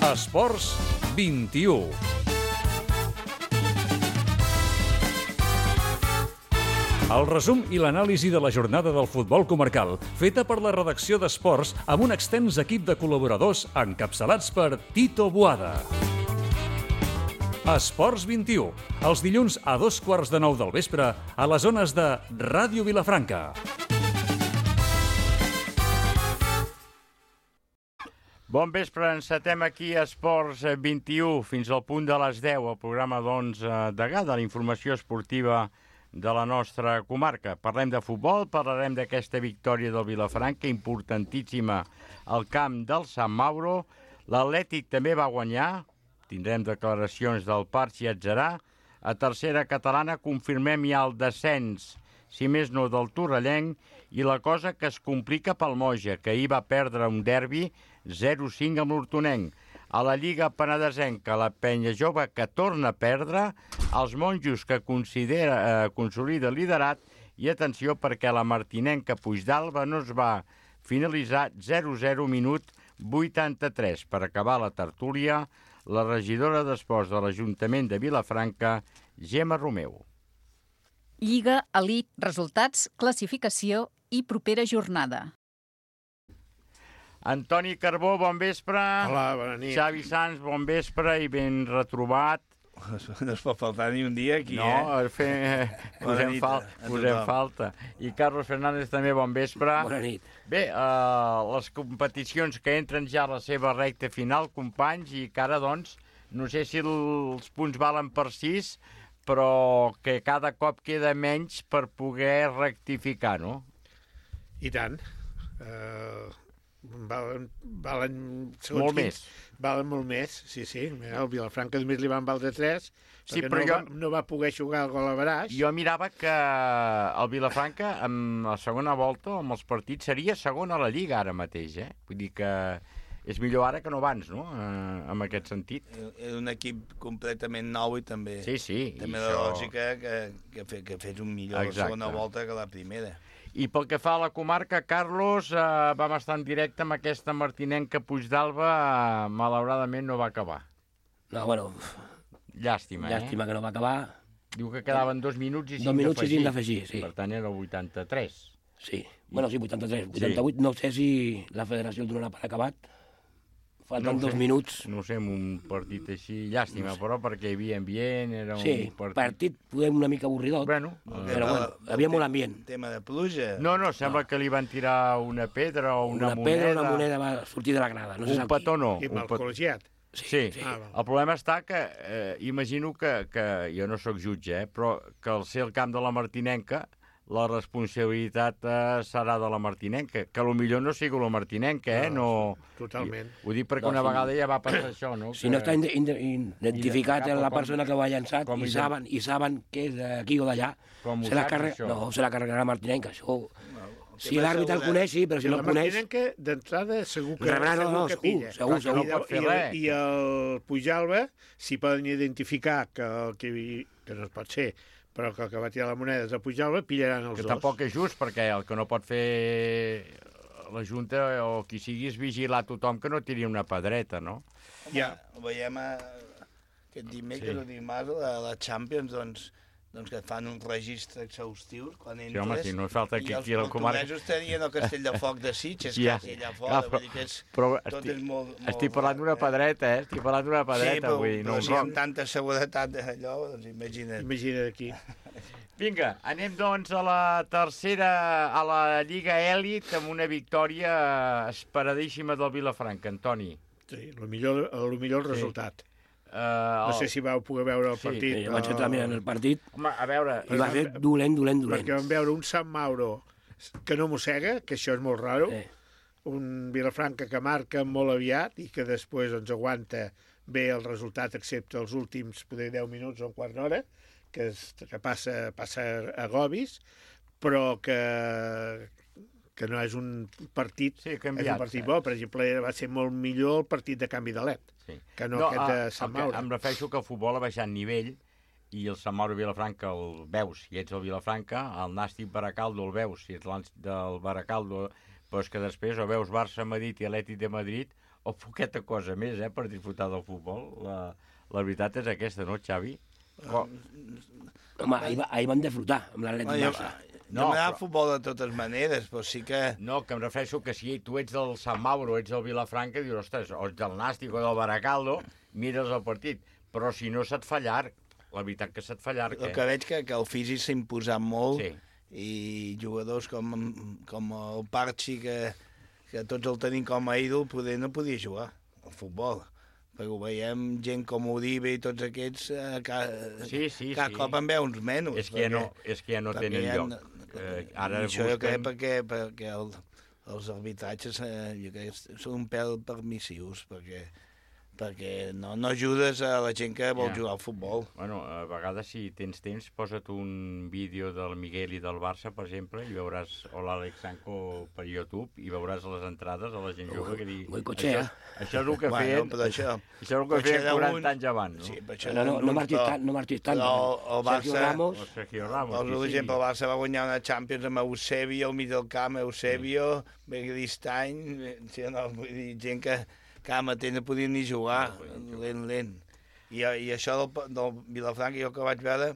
Esports 21. El resum i l'anàlisi de la jornada del futbol comarcal, feta per la redacció d'Esports amb un extens equip de col·laboradors encapçalats per Tito Boada. Esports 21, els dilluns a 8:15 del vespre a les zones de Ràdio Vilafranca. Bon vespre, encetem aquí a Esports 21 fins al punt de les 10, el programa de la informació esportiva de la nostra comarca. Parlem de futbol, parlarem d'aquesta victòria del Vilafranca, importantíssima al camp del Sant Mauro. L'Atlètic també va guanyar, tindrem declaracions del Parc i Atzarà. A tercera catalana confirmem ja el descens, si més no del Torrellenc, i la cosa que es complica pel Moja, que ahir va perdre un derbi 0-5 amb l'Hortonenc. A la Lliga Penedesenca, la Penya Jove que torna a perdre, els Monjos que consolida liderat, i atenció perquè la martinenca Puigdàlber no es va finalitzar 0-0 minut 83. Per acabar la tertúlia, la regidora d'Esports de l'Ajuntament de Vilafranca, Gemma Romeu. Lliga, elit, resultats, classificació i propera jornada. Antoni Carbó, bon vespre. Hola, bona nit. Xavi Sans, bon vespre i ben retrobat. No es pot faltar ni un dia aquí, posem falta. I Carlos Fernández també, bon vespre. Bona nit. Bé, les competicions que entren ja a la seva recta final, companys, i que ara, doncs, no sé si els punts valen per 6, però que cada cop queda menys per poder rectificar, no? I tant. Valen molt més. Valen molt més, sí. El Vilafranca només li van valdre 3, sí, perquè no va poder jugar el gol a Baraix. Jo mirava que el Vilafranca, amb la segona volta, amb els partits, seria segon a la Lliga ara mateix, Vull dir que és millor ara que no abans, no?, en aquest sentit. És un equip completament nou i també... Sí. També la lògica que ha fet un millor la segona volta que la primera. I pel que fa a la comarca, Carlos, vam estar en directe amb aquesta martinenca Puigdàlber, malauradament no va acabar. No, bueno... Llàstima, Llàstima que no va acabar. Diu que quedaven 2 minuts i 5 d'afegir. 2 minuts i 5 d'afegir, sí. Per tant, era el 83. Sí, bueno, sí, 83. 88, no sé si la federació el donarà per acabat. Falten 2 minuts. No sé, en un partit així, llàstima, però perquè hi havia ambient, era un partit podem una mica avorridot, però bueno, havia molt ambient. Tema de pluja. No, sembla que li van tirar una pedra o una moneda. Una moneda va sortir de la grada. Un petó no. I amb el col·legiat. Sí. El problema està que, imagino que jo no sóc jutge, però que al ser el camp de la martinenca, la responsabilitat serà de la martinenca, que potser no sigui la martinenca, no... Totalment. Ho dic perquè una vegada ja va passar això, no? Si no està identificat la persona que ho ha llançat i saben que és d'aquí o d'allà, se la carregarà la martinenca, això... Si l'àrbitre el coneix, sí, però si no el coneix... La martinenca, d'entrada, segur que pilla. Segur. No pot fer res. I el Puigdàlber, si poden identificar que no es pot ser, però que el que va tirar la moneda és el Puigdàlber, pillaran els dos. Que tampoc és just, perquè el que no pot fer la Junta o qui sigui és vigilar tothom que no tiri una pedreta, no? Ja. Ho veiem aquest dimecres o dimarts a la Champions, doncs que et fan un registre exhaustiu quan entres. Sí, home, si no falta que aquí a la comarca... I els portuguesos tenien el Castell de Foc de Sitges, quasi allà fora, vull dir que tot és molt... Estic parlant d'una pedreta, Sí, però vull dir, si amb tanta seguretat d'allò, doncs imagina't. Imagina't aquí. Vinga, anem doncs a la tercera, a la Lliga Èlit, amb una victòria esperadíssima del Vilafranca, Antoni. Sí, el millor resultat. No sé si vau poder veure el partit. Sí, jo vaig entrar mirant el partit. Home, a veure... I va ser dolent. Perquè vam veure un Sant Mauro que no mossega, que això és molt raro, un Vilafranca que marca molt aviat i que després doncs, aguanta bé el resultat, excepte els últims poder 10 minuts o un quart d'hora, que passa a Gobis, però que no és un partit, és un partit bo. Per exemple, va ser molt millor el partit de canvi de LED, que no aquest de Sant Mauro. Em refereixo que el futbol ha baixat nivell i el Sant Mauro Vilafranca el veus si ets el Vilafranca, el Nàstic Baracaldo el veus si ets del Baracaldo, però és que després o veus Barça-Madrid i Atlètic de Madrid o poqueta cosa més, per disfrutar del futbol. La veritat és aquesta, no, Xavi? Home, ahir van disfrutar amb l'Atlètic Barça. No m'agrada el futbol de totes maneres, però sí que... No, que em refereixo que si tu ets del Sant Mauro, ets del Vilafranca, dius, ostres, o ets del Nàstic o del Baracaldo, mires el partit. Però si no se't fa llarg, la veritat que se't fa llarg. El que veig que el físic s'ha imposat molt, sí. I jugadors com el Parchi, que tots el tenim com a ídol, poder no podia jugar al futbol. Perquè ho veiem gent com Uribe i tots aquests, cada cop en veu uns menys. És que ja no tenen lloc. Això jo crec perquè els arbitratges jo crec que són un pèl permissius, perquè no ajudes a la gent que vol jugar al futbol. Bueno, a vegades, si tens temps, posa't un vídeo del Miguel i del Barça, per exemple, i veuràs, o l'Àlex Sanco per YouTube, i veuràs les entrades a la gent jove que digui... Això és el que feien... Això és el que feien 40 anys abans, no? Sí, no marxis tant. El Barça... Sergio Ramos. Per exemple, el Barça va guanyar una Champions amb Eusebio, al mig del camp, Eusebio, Begristany, vull dir, gent que cada matí no podien ni jugar, lent. I això del Vilafranca, jo que vaig veure,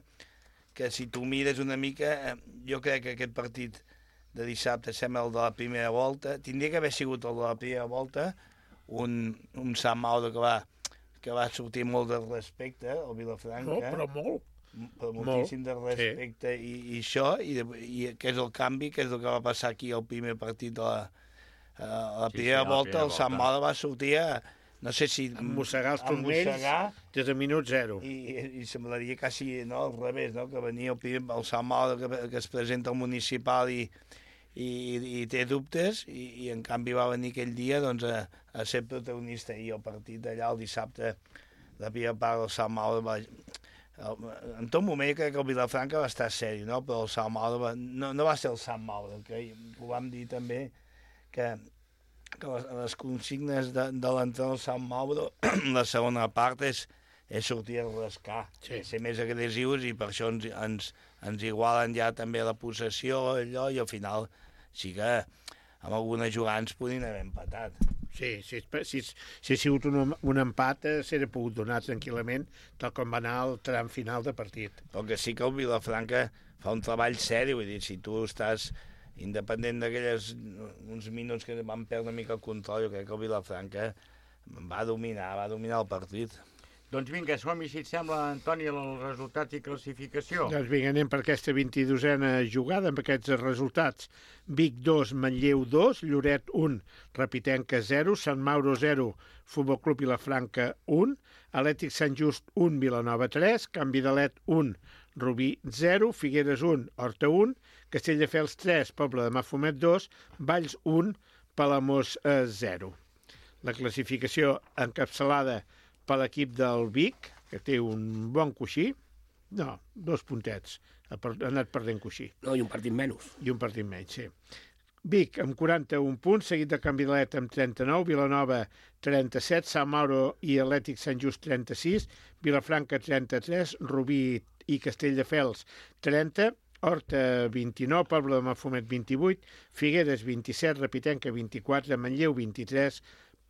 que si tu mires una mica, jo crec que aquest partit de dissabte sembla el de la primera volta, tindria que haver sigut el de la primera volta, un Sant Mauro que va sortir molt de respecte, el Vilafranca. No, però molt. Però moltíssim de respecte, sí. I això, i que és el canvi, que és el que va passar aquí al primer partit de la primera volta, el Sant Mauro va sortir no sé si... Mossegar els turmells des de minut 0. I semblaria quasi al revés, no? Que venia el Sant Mauro que es presenta al municipal i té dubtes, i en canvi va venir aquell dia doncs, a ser protagonista. I el partit d'allà, el dissabte, la primera part del Sant Mauro en tot moment crec que el Vilafranca va estar seri, no? Però el Sant Mauro no va ser el Sant Mauro, que ho vam dir també, que les consignes de l'entrada del Sant Mauro, la segona part és sortir a rascar, ser més agressius, i per això ens igualen ja també la possessió, allò, i al final sí que amb algunes jugades podien haver empatat. Sí, si ha sigut un empat, s'hauria pogut donar tranquil·lament, tal com va anar el tram final de partit. Però que sí que el Vilafranca fa un treball seri, vull dir, si tu estàs independent d'aquells uns minuts que van perdre una mica el control, jo crec que el Vilafranca va dominar el partit. Doncs vinga, som-hi, si et sembla, Antoni, els resultats i classificació. Doncs vinga, anem per aquesta 22a jugada amb aquests resultats. Vic 2, Manlleu 2, Lloret 1, Repitenca 0, Sant Mauro 0, Futbol Club Vilafranca 1, Atlètic Sant Just 1, Vilanova 3, Can Vidalet 1, Rubí 0, Figueres 1, Horta 1, Castelldefels 3, Pobla de Mafumet 2, Valls 1, Palamós 0. La classificació encapçalada per l'equip del Vic, que té un bon coixí, 2 puntets, ha anat perdent coixí. No, i un partit menys. I un partit menys, sí. Vic amb 41 punts, seguit de Can Vidalet amb 39, Vilanova 37, Sant Mauro i Atlètic Sant Just 36, Vilafranca 33, Rubí i Castelldefels 30, Horta 29, Pobla de Mafumet 28, Figueres 27, Repitenca 24, Manlleu 23,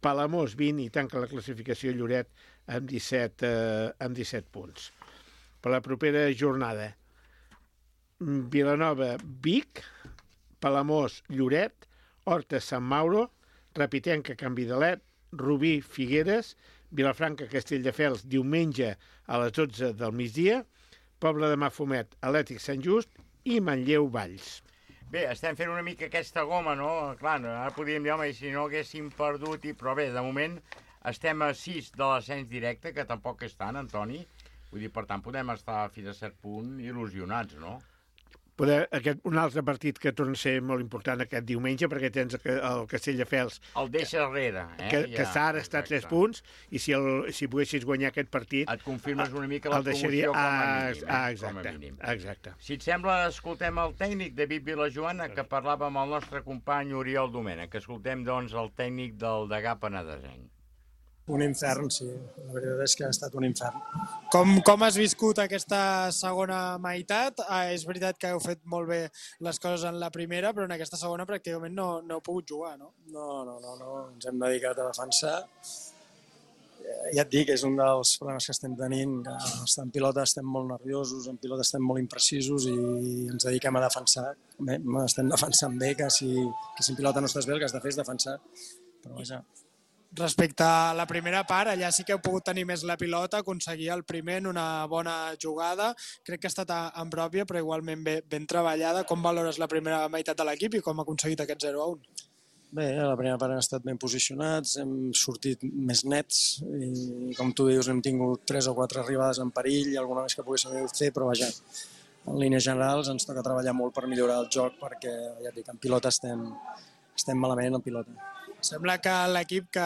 Palamós 20 i tanca la classificació Lloret amb 17 punts. Per la propera jornada, Vilanova, Vic, Palamós, Lloret, Horta, Sant Mauro, Repitenca, Can Vidalet, Rubí, Figueres, Vilafranca, Castelldefels, diumenge a les 12 del migdia, Pobla de Mafumet, Atlètic Sant Just i Manlleu, Valls. Bé, estem fent una mica aquesta goma, no? Clar, ara podríem dir, home, si no haguéssim perdut... Però bé, de moment estem a 6 de l'ascens directe, que tampoc és tant, Antoni. Vull dir, per tant, podem estar fins a cert punt il·lusionats, no? Un altre partit que torna a ser molt important aquest diumenge, perquè tens el Castelldefels... El deixa darrere, que ara està a 3 punts, i si poguessis guanyar aquest partit... Et confirmes una mica la promoció com a mínim. Exacte. Si et sembla, escoltem el tècnic David Vilajoana, que parlava amb el nostre company Oriol Domènech. Escoltem, doncs, el tècnic del Degà Penedesenc. Un infern, sí. La veritat és que ha estat un infern. Com has viscut aquesta segona meitat? És veritat que heu fet molt bé les coses en la primera, però en aquesta segona pràcticament no heu pogut jugar, no? No. Ens hem dedicat a defensar. Ja et dic, és un dels problemes que estem tenint, que en pilota estem molt nerviosos, en pilota estem molt imprecisos i ens dediquem a defensar. Bé, estem defensant bé, que si en pilota no estàs bé el que has de fer és defensar. Però vaja... Respecte a la primera part, allà sí que heu pogut tenir més la pilota, aconseguir el primer en una bona jugada. Crec que ha estat en pròpia, però igualment ben treballada. Com valores la primera meitat de l'equip i com ha aconseguit aquest 0-1? Bé, a la primera part hem estat ben posicionats, hem sortit més nets i, com tu dius, hem tingut 3 o 4 arribades en perill, alguna més que poguéssim fer, però vaja, en línies generals ens toca treballar molt per millorar el joc perquè, ja et dic, en pilota estem malament en pilota. Sembla que l'equip que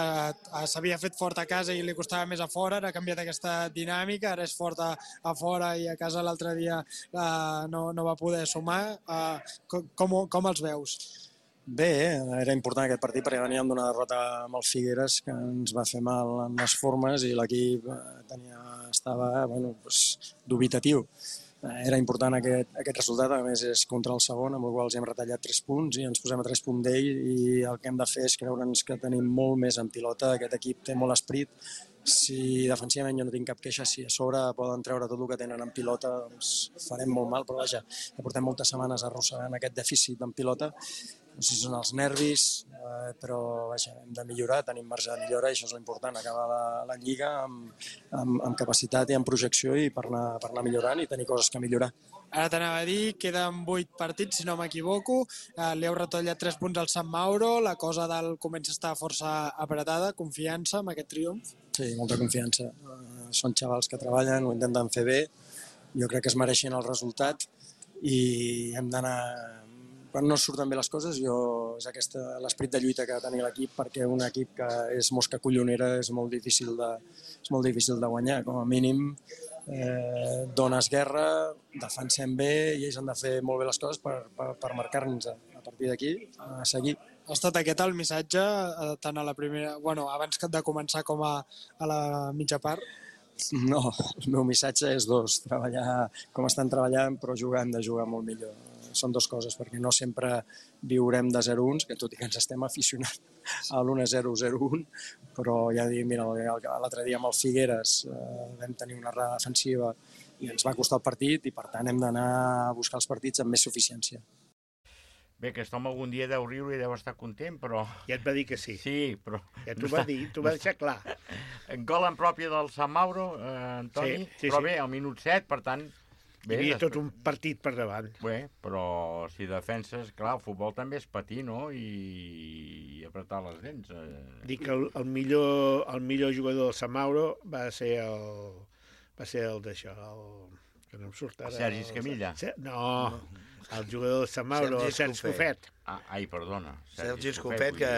s'havia fet fort a casa i li costava més a fora, ara ha canviat aquesta dinàmica, ara és fort a fora i a casa l'altre dia no va poder sumar. Com els veus? Bé, era important aquest partit perquè veníem d'una derrota amb el Figueres que ens va fer mal en les formes i l'equip estava dubitatiu. Era important aquest resultat, a més és contra el segon, amb el qual hem retallat 3 punts i ens posem a 3 punts d'ell i el que hem de fer és creure'ns que tenim molt més en pilota, aquest equip té molt esprit, si defensivament jo no tinc cap queixa, si a sobre poden treure tot el que tenen en pilota, doncs farem molt mal, però vaja, portem moltes setmanes arrossegant aquest dèficit en pilota, no sé si són els nervis, però vaja, hem de millorar, tenim marge de millora i això és l'important, acabar la Lliga amb capacitat i amb projecció i per anar millorant i tenir coses que millorar. Ara t'anava a dir, queden 8 partits, si no m'equivoco, li heu retallat 3 punts al Sant Mauro, la cosa comença a estar força apretada, confiança amb aquest triomf? Sí, molta confiança. Són xavals que treballen, ho intenten fer bé, jo crec que es mereixen el resultat i hem d'anar... Quan no surten bé les coses, és l'esperit de lluita que ha de tenir l'equip, perquè un equip que és mosca collonera és molt difícil de guanyar. Com a mínim, dones guerra, defensem bé i ells han de fer molt bé les coses per marcar-nos a partir d'aquí a seguir. Ha estat aquest el missatge, tant a la primera, abans de començar com a la mitja part? No, el meu missatge és treballar com estan treballant, però hem de jugar molt millor. Són 2 coses, perquè no sempre viurem de 0-1, que tot i que ens estem aficionant a l'1-0, 0-1, però ja dic, mira, l'altre dia amb el Figueres vam tenir una errada defensiva i ens va costar el partit i per tant hem d'anar a buscar els partits amb més suficiència. Bé, aquest home algun dia deu riure i deu estar content, però... Ja et va dir que sí. Sí, però... Ja t'ho va dir, t'ho va deixar clar. Gol en pròpia del Sant Mauro, Antoni, sí. Però bé, al minut 7, per tant... Hi havia tot un partit per davant. Bé, però si defenses, clar, el futbol també és patir, no? I apretar les dents. Dic que el millor jugador del Sant Mauro va ser el d'això, que no em surt ara... Sergi Escamilla? No, el jugador del Sant Mauro, el Sergi Escofet. Ai, perdona. Sergi Escofet, que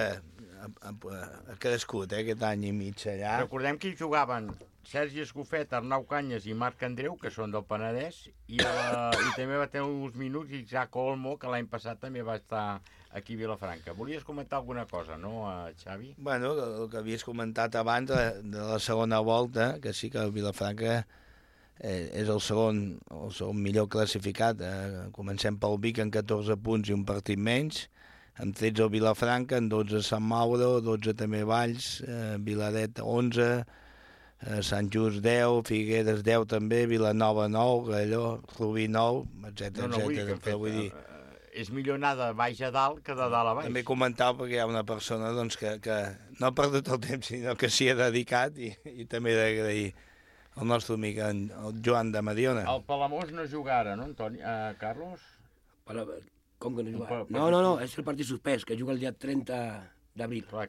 ha crescut aquest any i mig allà. Recordem que hi jugaven Sergi Escofet, Arnau Canyes i Marc Andreu, que són del Penedès, i també va tenir uns minuts Isaac Olmo, que l'any passat també va estar aquí a Vilafranca. Volies comentar alguna cosa, no, Xavi? Bueno, el que havies comentat abans de la segona volta, que sí que el Vilafranca és el segon millor classificat. Comencem pel Vic amb 14 punts i un partit menys, amb 13 el Vilafranca, amb 12 Sant Mauro, 12 també Valls, Vilaret 11, Sant Just 10, Figueres 10 també, Vilanova 9, Galló, Rubí 9, etc. Vull dir, és millor anar de baix a dalt que de dalt a baix. També comentar perquè hi ha una persona que no ha perdut el temps, sinó que s'hi ha dedicat i també he d'agrair el nostre amic, el Joan de Mediona. El Palamós no juga ara, no, Antoni? Carlos? Com que no juga? No, és el partit suspès, que juga el dia 30 d'abril. Clar,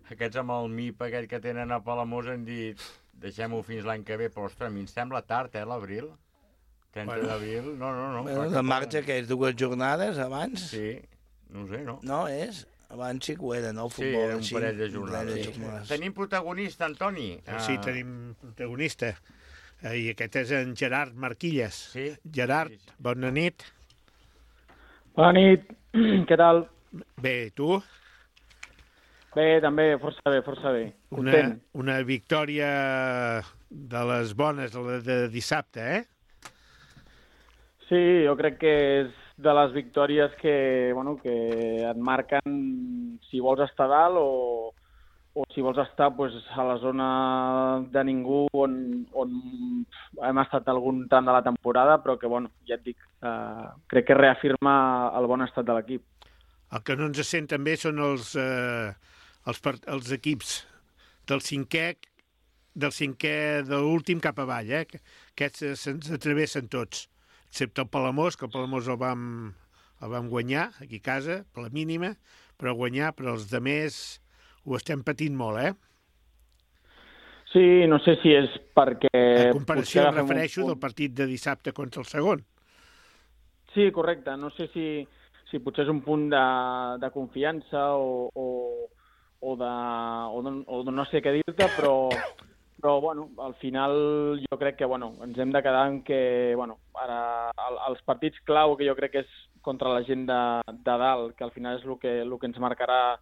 aquests amb el MIP aquell que tenen a Palamós han dit deixem-ho fins l'any que ve, però ostres, a mi em sembla tard, l'abril. 30 d'abril, no. De marxa que és 2 jornades abans? Sí, no sé, no? No, abans sí que ho era, no? El futbol, sí, era un parell de jornades. Tenim protagonista, Antoni. Sí, tenim protagonista. I aquest és en Gerard Marquilles. Sí. Gerard, bona nit. Bona nit, què tal? Bé, tu? Bé, també, força bé. Una victòria de les bones, la de dissabte, Sí, jo crec que és de les victòries que et marquen si vols estar dalt o si vols estar a la zona de ningú on hem estat algun tram de la temporada, però que, ja et dic, crec que reafirma el bon estat de l'equip. El que no ens sent també són els equips del cinquè de l'últim cap avall, Aquests se'ns atravessen tots, excepte el Palamós, que el Palamós el vam guanyar aquí a casa, per la mínima, però els demés ho estem patint molt, Sí, no sé si és perquè... A comparació, em refereixo del partit de dissabte contra el segon. Sí, correcte. No sé si potser és un punt de confiança o de no sé què dir-te, però al final jo crec que ens hem de quedar en que ara els partits clau, que jo crec que és contra la gent de dalt, que al final és el que ens marcarà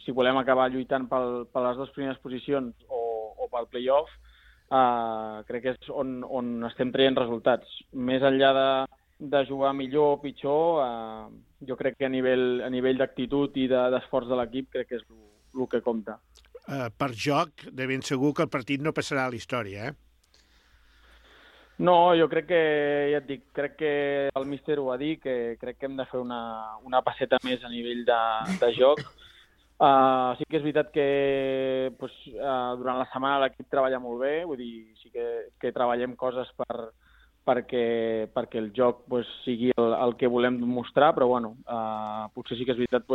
si volem acabar lluitant per les dues primeres posicions o pel play-off, crec que és on estem traient resultats. Més enllà de jugar millor o pitjor, jo crec que a nivell d'actitud i d'esforç de l'equip crec que és el que compta. Per joc, de ben segur que el partit no passarà a la història, No, jo crec que, ja et dic, crec que el míster ho va dir, que crec que hem de fer una passeta més a nivell de joc. Sí que és veritat que durant la setmana l'equip treballa molt bé, vull dir, sí que treballem coses perquè el joc sigui el que volem mostrar, però potser sí que és veritat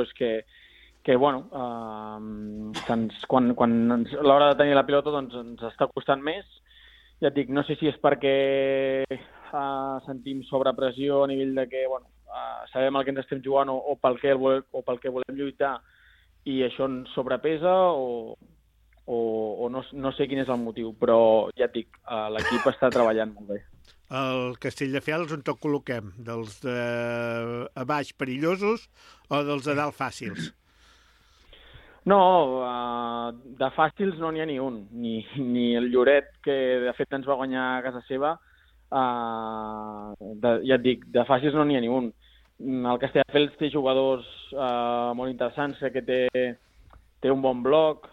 quan l'hora de tenir la pilota ens està costant més. Ja et dic, no sé si és perquè sentim sobrepressió a nivell de que sabem el que ens estem jugant o pel que volem lluitar i això ens sobrepesa o no sé quin és el motiu, però ja et dic, l'equip està treballant molt bé. El Castelldefels on tot col·loquem? Dels de a baix perillosos o dels de dalt fàcils? No, de fàcils no n'hi ha ni un. Ni el Lloret, que de fet ens va guanyar a casa seva, ja et dic, de fàcils no n'hi ha ni un. El Castelldefels té jugadors molt interessants, que té un bon bloc.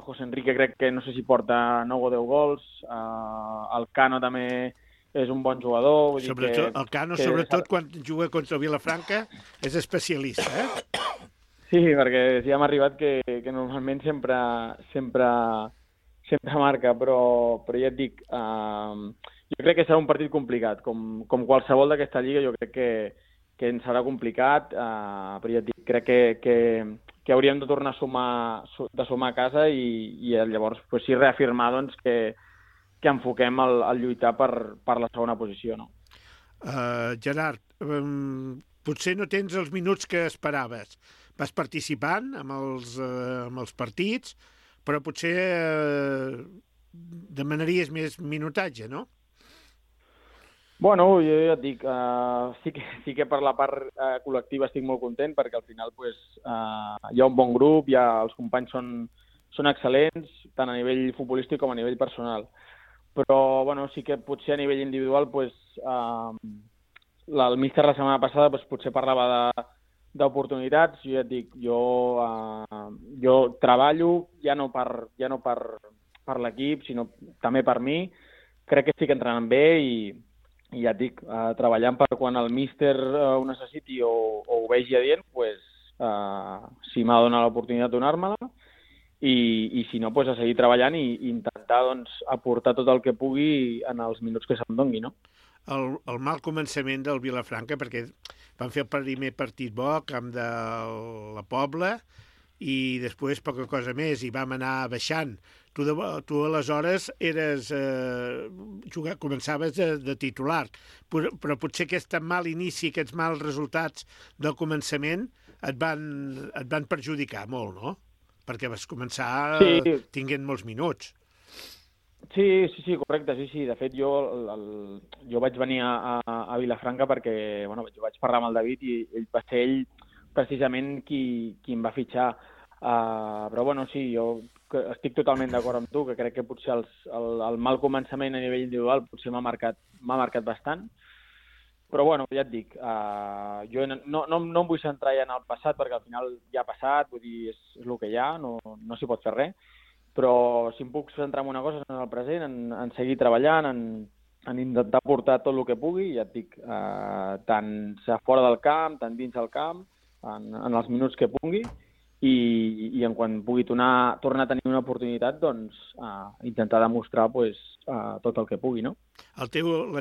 José Enrique crec que no sé si porta 9 o 10 gols. El Cano també és un bon jugador. El Cano, sobretot quan juga contra el Vilafranca, és especialista, Sí, perquè sí hem arribat que normalment sempre marca, però ja et dic, jo crec que serà un partit complicat. Com qualsevol d'aquesta lliga, jo crec que ens serà complicat, però ja et dic, crec que hauríem de tornar a sumar a casa i llavors sí reafirmar que enfoquem el lluitar per la segona posició. No? Gerard, potser no tens els minuts que esperaves. Vas participant amb els partits, però potser demanaries més minutatge, no? Bueno, jo ja et dic, sí que per la part col·lectiva estic molt content, perquè al final hi ha un bon grup, els companys són excel·lents, tant a nivell futbolístic com a nivell personal. Però sí que potser a nivell individual el míster la setmana passada potser parlava d'oportunitats. Jo ja et dic, jo treballo ja no per l'equip, sinó també per mi. Crec que estic entrenant bé i ja et dic, treballant per quan el míster ho necessiti o ho vegi adient, si m'ha donat l'oportunitat de donar-me-la i si no, a seguir treballant i intentar aportar tot el que pugui en els minuts que se'm doni, no? El mal començament del Vilafranca, perquè van fer el primer partit bo al camp de la Pobla i després poca cosa més i vam anar baixant. Tu aleshores començaves de titular, però potser aquest mal inici, aquests mals resultats del començament et van perjudicar molt, no? Perquè vas començar tinguent molts minuts. Sí, correcte, sí. De fet, jo vaig venir a Vilafranca perquè jo vaig parlar amb el David i ell va ser precisament qui em va fitxar. Però bueno, sí, jo estic totalment d'acord amb tu, que crec que potser el mal començament a nivell individual potser m'ha marcat bastant. Però bueno, ja et dic, jo no em vull centrar ja en el passat, perquè al final ja ha passat, vull dir, és el que hi ha, no s'hi pot fer res. Però si em puc centrar en una cosa és en el present, en seguir treballant, en intentar portar tot el que pugui, ja et dic, tant fora del camp, tant dins del camp, en els minuts que pugui, i en quan pugui tornar a tenir una oportunitat, doncs intentar demostrar tot el que pugui, no? La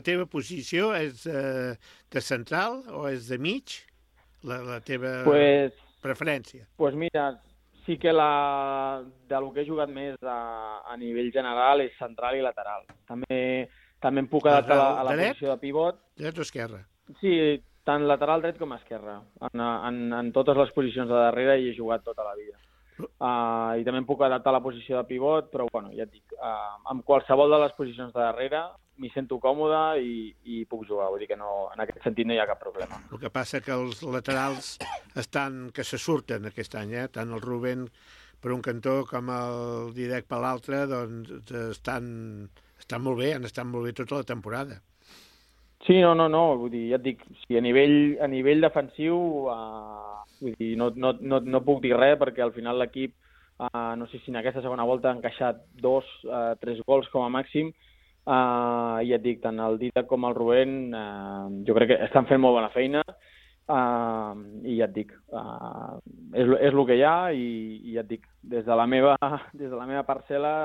teva posició és de central o és de mig? La teva preferència? Doncs mira, sí que del que he jugat més a nivell general és central i lateral. També em puc adaptar a la posició de pivot. Dret o esquerra? Sí, tant lateral dret com esquerra. En totes les posicions de darrere hi he jugat tota la vida. I també em puc adaptar a la posició de pivot, però bueno, ja et dic, amb qualsevol de les posicions de darrere m'hi sento còmode i puc jugar. Vull dir que no, en aquest sentit no hi ha cap problema. El que passa que els laterals que se surten aquest any, tant el Rubén per un cantó com el Dídac per l'altre, doncs estan molt bé, han estat molt bé tota la temporada. Sí, no, vull dir, ja et dic, a nivell defensiu, vull dir, no puc dir res, perquè al final l'equip, no sé si en aquesta segona volta ha encaixat 2-3 gols com a màxim, i ja et dic, tant el Dídac com el Rubén, jo crec que estan fent molt bona feina, i ja et dic, és el que hi ha, i ja et dic, des de la meva parcel·la,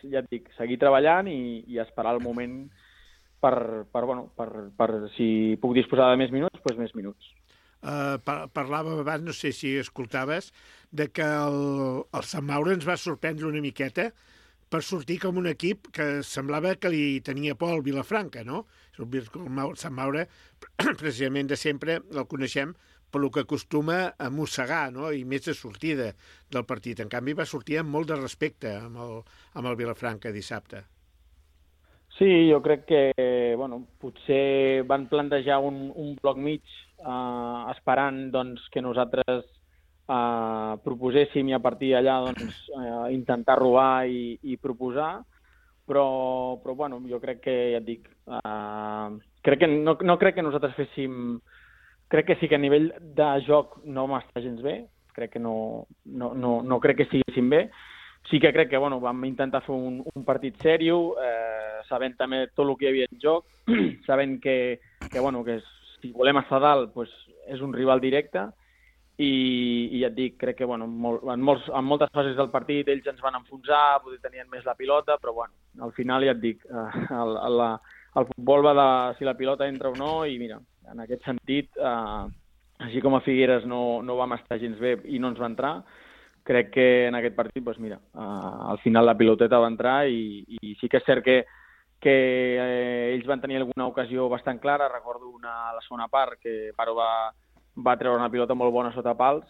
ja et dic, seguir treballant i esperar el moment per si puc disposar de més minuts, doncs més minuts. Parlàvem abans, no sé si escoltaves, de que el Sant Maure ens va sorprendre una miqueta per sortir com un equip que semblava que li tenia por al Vilafranca, no? El Sant Maure, precisament de sempre, el coneixem per el que acostuma a mossegar, no? I més de sortida del partit. En canvi, va sortir amb molt de respecte amb el Vilafranca dissabte. Sí, jo crec que potser van plantejar un bloc mig esperant doncs, que nosaltres proposéssim i a partir d'allà intentar robar i proposar, però jo crec que, ja et dic, no crec que nosaltres féssim... Crec que sí que a nivell de joc no vam estar gens bé, crec que no crec que estiguéssim bé. Sí que crec que vam intentar fer un partit sèrio, sabent també tot el que hi havia en joc, sabent que si volem estar dalt és un rival directe, i ja et dic, crec que en moltes fases del partit ells ens van enfonsar, potser tenien més la pilota, però al final ja et dic, el futbol va de si la pilota entra o no, i mira, en aquest sentit, així com a Figueres no vam estar gens bé i no ens va entrar, crec que en aquest partit, al final la piloteta va entrar i sí que és cert que ells van tenir alguna ocasió bastant clara. Recordo a la segona part que Paro va treure una pilota molt bona sota pals,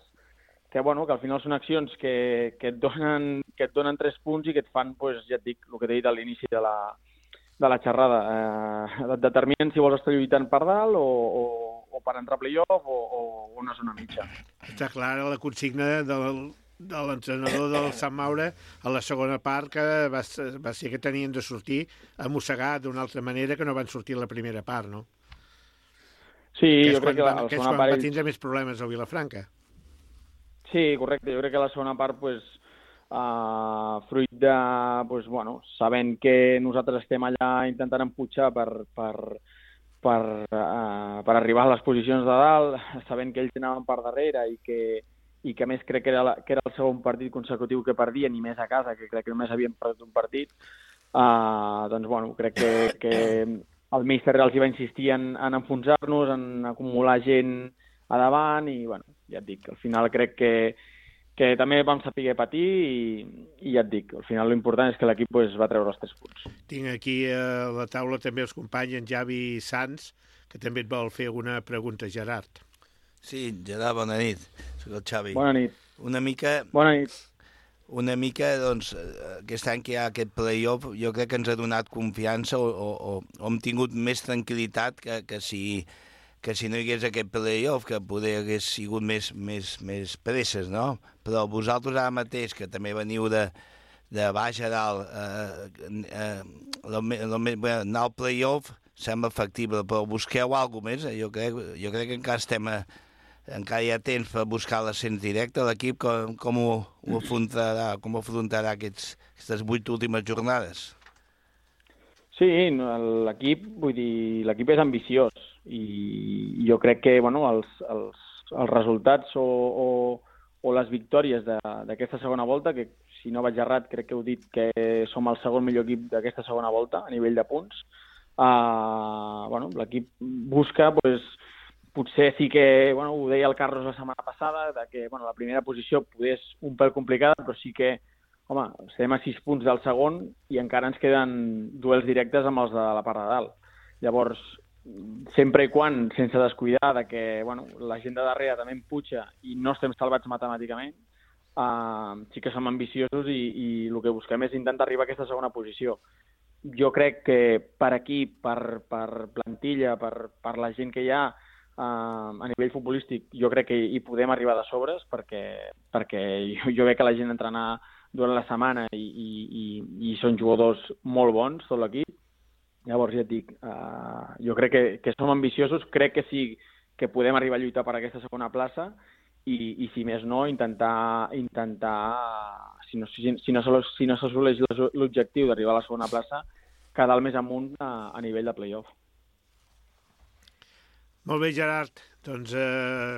que al final són accions que et donen 3 punts i que et fan, ja et dic, el que t'he dit a l'inici de la xerrada. Et determinen si vols estar lluitant per dalt o per entrar a playoff o una zona mitja. Està clara la consigna de l'entrenador del Sant Maure a la segona part, que va ser que tenien de sortir a mossegar d'una altra manera que no van sortir a la primera part, no? Sí, jo crec que la segona part... va tindre més problemes al Vilafranca. Sí, correcte. Jo crec que la segona part, fruit de, sabent que nosaltres estem allà intentant empujar per arribar a les posicions de dalt, sabent que ells anaven per darrere i que a més crec que era el segon partit consecutiu que perdien, i més a casa, que crec que només havien perdut un partit, crec que el míster els hi va insistir en enfonsar-nos, en acumular gent a davant, i ja et dic, al final crec que també vam saber patir i ja et dic, al final l'important és que l'equip va treure els 3 punts. Tinc aquí a la taula també els companys, en Javi Sanz, que també et vol fer alguna pregunta, Gerard. Sí, Gerard, bona nit. Soc el Xavi. Bona nit. Bona nit. Una mica, doncs, aquest any que hi ha aquest play-off, jo crec que ens ha donat confiança o hem tingut més tranquil·litat que si que si no hi hagués aquest playoff, que poder hagués sigut més presses, no? Però vosaltres ara mateix, que també veniu de baix a dalt, anar al playoff sembla factible, però busqueu alguna cosa més. Jo crec que encara hi ha temps per buscar l'ascens directe. L'equip com ho afrontarà aquestes 8 últimes jornades? Sí, l'equip és ambiciós i jo crec que els resultats o les victòries d'aquesta segona volta, que si no vaig errat crec que heu dit que som el segon millor equip d'aquesta segona volta a nivell de punts, l'equip busca, potser sí que, ho deia el Carlos la setmana passada, que la primera posició poder és un pèl complicada, però sí que estem a 6 punts del segon i encara ens queden duels directes amb els de la part de dalt. Llavors, sempre i quan, sense descuidar que la gent de darrere també empuja i no estem salvats matemàticament, sí que som ambiciosos i el que busquem és intentar arribar a aquesta segona posició. Jo crec que per equip, per plantilla, per la gent que hi ha a nivell futbolístic, jo crec que hi podem arribar de sobres perquè jo veig que la gent entrena durant la setmana i són jugadors molt bons, tot l'equip. Llavors, ja et dic, jo crec que som ambiciosos, crec que sí que podem arribar a lluitar per aquesta segona plaça i si més no, intentar si no s'assoleix l'objectiu d'arribar a la segona plaça, quedar el més amunt a nivell de play-off. Molt bé, Gerard. Doncs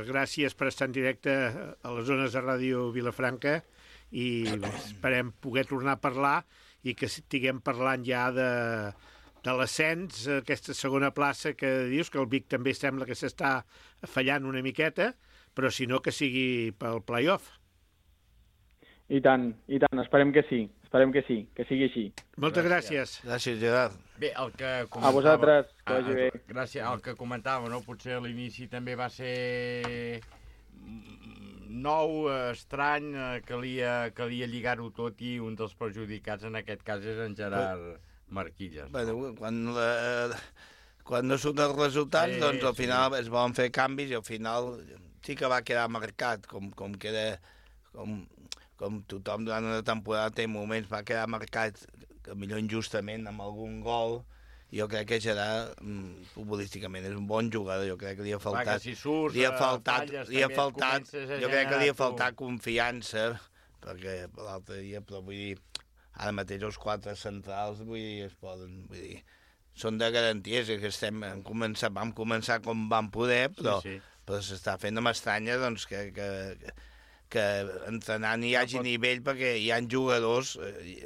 gràcies per estar en directe a les zones de Ràdio Vilafranca i esperem poder tornar a parlar i que estiguem parlant ja de l'ascens, aquesta segona plaça que dius, que el Vic també sembla que s'està fallant una miqueta, però si no que sigui pel play-off. I tant, esperem que sí, que sigui així. Moltes gràcies. Gràcies, Gerard. Bé, el que comentava... A vosaltres, que vagi bé. Gràcies, el que comentava, no? Potser a l'inici també va ser nou, estrany, calia lligar-ho tot i un dels perjudicats en aquest cas és en Gerard Marquilles. Bueno, quan no surten els resultats, doncs al final es volen fer canvis i al final sí que va quedar marcat, com tothom durant una temporada té moments, va quedar marcat, que millor injustament, amb algun gol. Jo crec que Gerard, futbolísticament, és un bon jugador. Jo crec que li ha faltat... Jo crec que li ha faltat confiança, perquè l'altre dia, però vull dir, ara mateix els 4 centrals, vull dir, són de garanties, que vam començar com vam poder, però s'està fent amb estranya, doncs, que entrenant hi hagi nivell, perquè hi ha jugadors,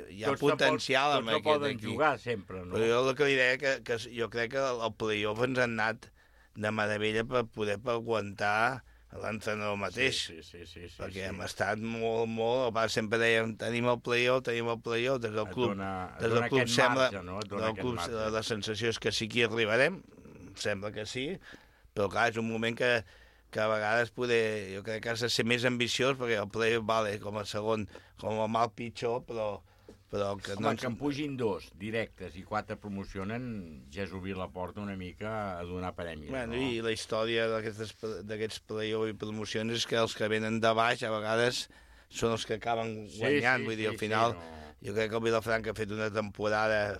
hi ha potencial amb aquest equip. Tots no poden jugar sempre, no? Però jo el que li deia, que jo crec que el play-off ens han anat de meravella per poder aguantar l'entrenador mateix. Sí. Perquè hem estat molt... Sempre dèiem, tenim el play-off, des del club. Des del club sembla... La sensació és que sí que hi arribarem, sembla que sí, però clar, és un moment que a vegades jo crec que has de ser més ambiciós, perquè el play-off vale com a segon, com a mal pitjor, però que no... Home, que en pugin 2 directes i 4 promocionen, ja és obrir la porta una mica a donar premis. Bueno, i la història d'aquests play-off i promocions és que els que venen de baix a vegades són els que acaben guanyant, vull dir, al final jo crec que el Vilafranca ha fet una temporada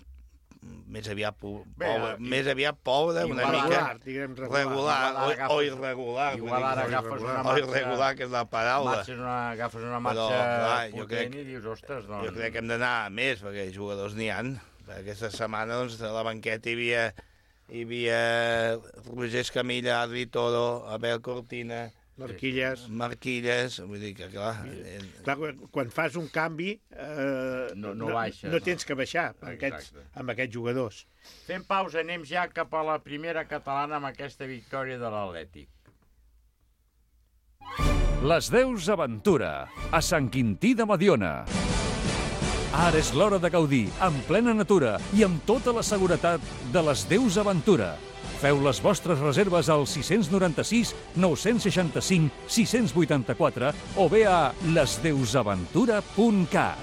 més aviat pobra, una mica regular o irregular. Igual ara agafes una marxa... O irregular, que és la paraula. Agafes una marxa potent i dius, ostres, doncs... Jo crec que hem d'anar a més, perquè jugadors n'hi ha. Aquesta setmana, doncs, a la banqueta hi havia Roger Escamilla, Adri Toro, Abel Cortina... Marquilles, vull dir que, clar... Quan fas un canvi, no baixes. No tens que baixar amb aquests jugadors. Fem pausa, anem ja cap a la primera catalana amb aquesta victòria de l'Atlètic. Les Deus Aventura, a Sant Quintí de Mediona. Ara és l'hora de gaudir, en plena natura i amb tota la seguretat de les Deus Aventura. Feu les vostres reserves al 696 965 684 o bé a lesdeusaventura.cat.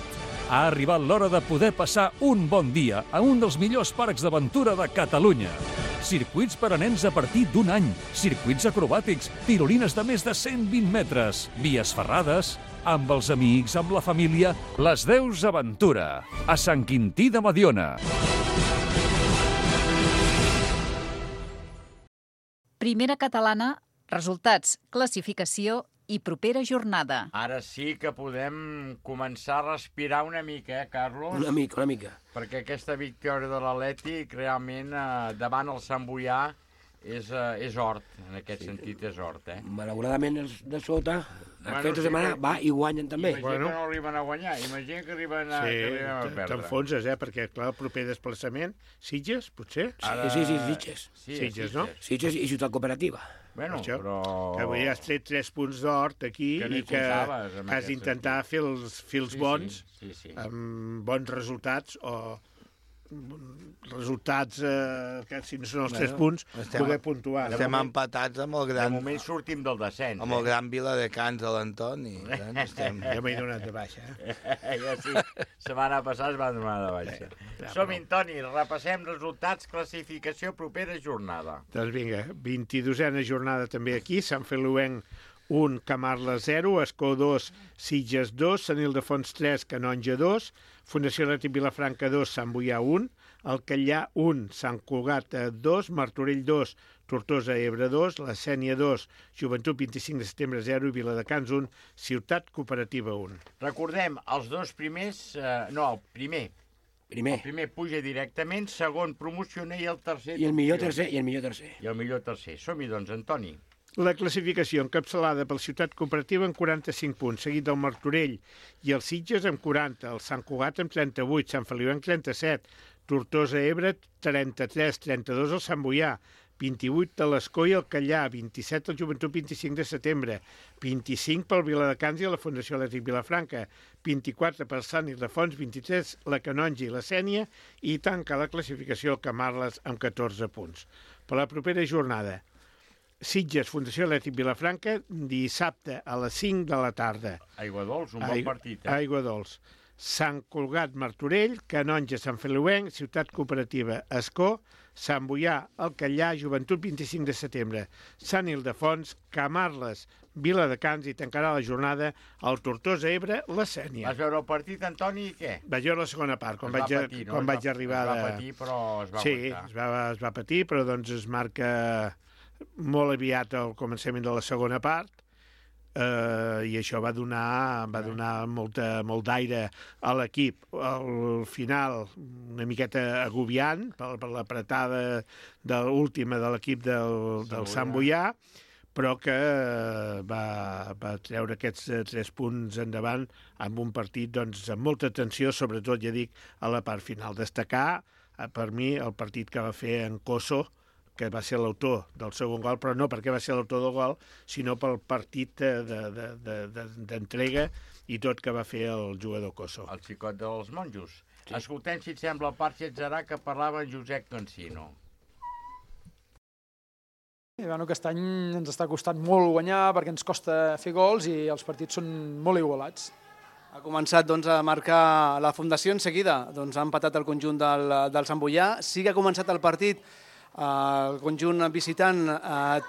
Ha arribat l'hora de poder passar un bon dia a un dels millors parcs d'aventura de Catalunya. circuits per a nens a partir d'1 any, circuits acrobàtics, tirolines de més de 120 metres, vies ferrades, amb els amics, amb la família, les Deus Aventura, a Sant Quintí de Mediona. Primera catalana, resultats, classificació i propera jornada. Ara sí que podem començar a respirar una mica, Carlos? Una mica. Perquè aquesta victòria de l'Atlètic realment davant el Sant Boià és hort, en aquest sentit és hort. Malauradament els de sota, aquesta setmana va i guanyen també. Imagina que no arriben a guanyar, imagina que arriben a perdre. T'enfonses, perquè clar, el proper desplaçament, Sitges, potser? Sí, Sitges. Sitges, no? Sitges i Ciutat Cooperativa. Bueno, però... Que avui has tret 3 punts d'hort aquí i que has d'intentar fer els bons, amb bons resultats o resultats que si no són els 3 punts poder puntuar. Estem empatats amb el gran... De moment sortim del descens. Amb el gran Viladecans de l'Anton i estem... Ja m'he donat de baixa. Ja sí, setmana passada es va donar de baixa. Som-hi, Toni, repassem resultats, classificació, propera jornada. Doncs vinga, 22a jornada també aquí, Sant Feliuenc 1, Camarles 0, Escó 2, Sitges 2, Sant Ildefons 3, Canonja 2, Fundació Atlètic Vilafranca 2, Sant Boià 1, Alcallà 1, Sant Cugat 2, Martorell 2, Tortosa Ebre 2, La Sénia 2, Joventut 25 de setembre 0 i Viladecans 1, Ciutat Cooperativa 1. Recordem, els dos primers... el primer. El primer puja directament, segon promociona i el tercer... I el millor tercer. I el millor tercer. Som-hi, doncs, Antoni. La classificació encapçalada pel Ciutat Cooperativa amb 45 punts, seguit del Martorell i el Sitges amb 40, el Sant Cugat amb 38, Sant Feliuenc 37, Tortosa Ebre 33, 32 el Sant Boià, 28 de l'Escó i el Callà, 27 el Joventut 25 de setembre, 25 pel Viladecans i la Fundació Atlètic Vilafranca, 24 per Sant Ildefons, 23 la Canonja i la Sénia i tanca la classificació el Camarles amb 14 punts. Per la propera jornada, Sitges, Fundació Atlètic Vilafranca, dissabte a les 5 de la tarda. Aigua Dols, un bon partit. Aigua Dols. Sant Cugat, Martorell, Canonja, Sant Feliuenc, Ciutat Cooperativa, Escó, Sant Boià, Alcallà, Joventut 25 de setembre, Sant Ildefons, Camarles, Viladecans i tancarà la jornada el Tortosa Ebre, la Sénia. Vas veure el partit, Antoni, i què? Vaig veure la segona part, quan vaig arribar... Es va patir, però es va aguantar. Sí, es va patir, però doncs es marca... molt aviat al començament de la segona part i això va donar molt d'aire a l'equip. Al final, una miqueta agobiant per l'apretada última de l'equip del Sant Boià, però que va treure aquests 3 punts endavant amb un partit doncs, amb molta tensió, sobretot, ja dic, a la part final. Destacar, per mi, el partit que va fer en Cosso, que va ser l'autor del segon gol, però no perquè va ser l'autor del gol, sinó pel partit d'entrega i tot que va fer el jugador Cosso. El xicot dels monjos. Sí. Escoltem, si et sembla, el part Xetzerà que parlava en Josep Cancino. Aquest any ens està costant molt guanyar perquè ens costa fer gols i els partits són molt igualats. Ha començat a marcar la Fundació en seguida. Ha empatat el conjunt del Sant Boià. Sí que ha començat el partit el conjunt visitant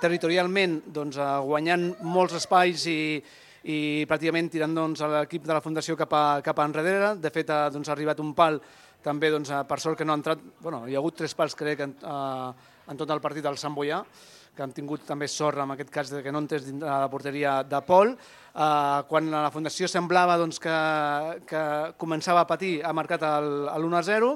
territorialment guanyant molts espais i pràcticament tirant l'equip de la Fundació cap enrere. De fet, ha arribat un pal també, per sort que no ha entrat, hi ha hagut 3 pals crec en tot el partit del Sant Boià, que han tingut també sort en aquest cas que no entrés dintre la porteria de Pol. Quan la Fundació semblava que començava a patir, ha marcat l'1-0.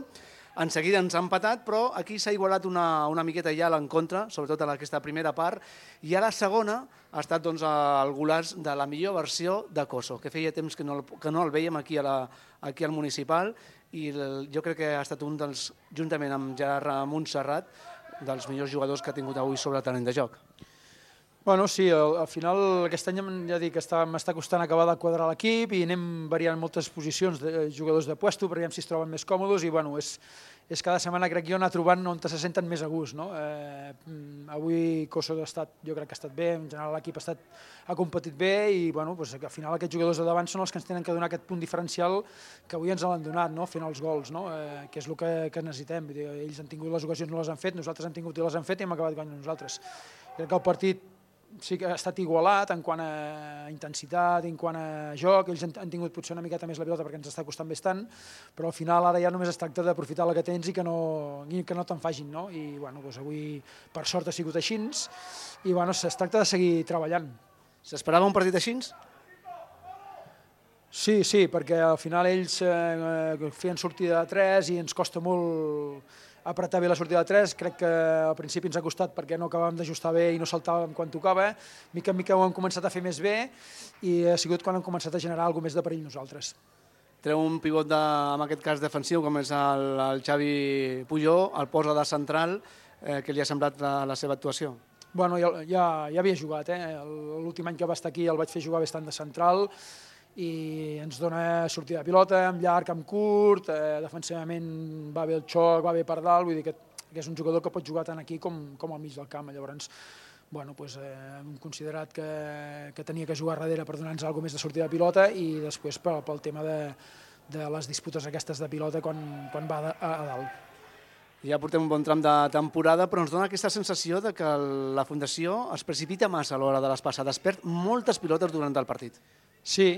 En seguida ens ha empatat, però aquí s'ha igualat una miqueta ja en contra, sobretot en aquesta primera part, i a la segona ha estat el golaç de la millor versió de Cosso, que feia temps que no el veiem aquí al municipal, i jo crec que ha estat un dels, juntament amb Gerard Montserrat, dels millors jugadors que ha tingut avui sobre el terreny de joc. Bueno, sí, al final aquest any ja dic que m'està costant acabar de quadrar l'equip i anem variant moltes posicions de jugadors de puesto per veure si es troben més còmodes i bueno, és cada setmana crec jo anar trobant on se senten més a gust. No? Avui Koso jo crec que ha estat bé, en general l'equip ha competit bé i bueno, pues, al final aquests jugadors de davant són els que ens tenen que donar aquest punt diferencial que avui ens l'han donat, no? Fent els gols, no? Que és el que necessitem. Ells han tingut les ocasions, no les han fet, nosaltres hem tingut i les han fet i hem acabat guanyant nosaltres. Crec que el partit sí que ha estat igualat en quant a intensitat, en quant a joc, ells han tingut potser una miqueta més la pilota perquè ens està costant bastant, però al final ara ja només es tracta d'aprofitar la que tens i que no te'n facin, no? I bueno, doncs avui per sort ha sigut així i bueno, es tracta de seguir treballant. S'esperava un partit així? Sí, perquè al final ells feien sortida de 3 i ens costa molt apretar bé la sortida de 3, crec que al principi ens ha costat perquè no acabàvem d'ajustar bé i no saltàvem quan tocava, mica en mica ho hem començat a fer més bé i ha sigut quan hem començat a generar alguna més de perill nosaltres. Treu un pivot, en aquest cas defensiu, com és el Xavi Pujol, el posa de central, que li ha semblat la seva actuació? Bueno, ja havia jugat, l'últim any que va estar aquí el vaig fer jugar bastant de central, i ens dona sortida de pilota, amb llarg, amb curt, defensivament va bé el xoc, va bé per dalt, vull dir que és un jugador que pot jugar tant aquí com al mig del camp. Llavors, bueno, hem considerat que tenia que jugar darrere per donar-nos alguna més de sortida de pilota i després pel tema de les disputes aquestes de pilota quan va a dalt. Ja portem un bon tram de temporada, però ens dona aquesta sensació de que la Fundació es precipita massa a l'hora de les passades, perd moltes pilotes durant el partit. Sí,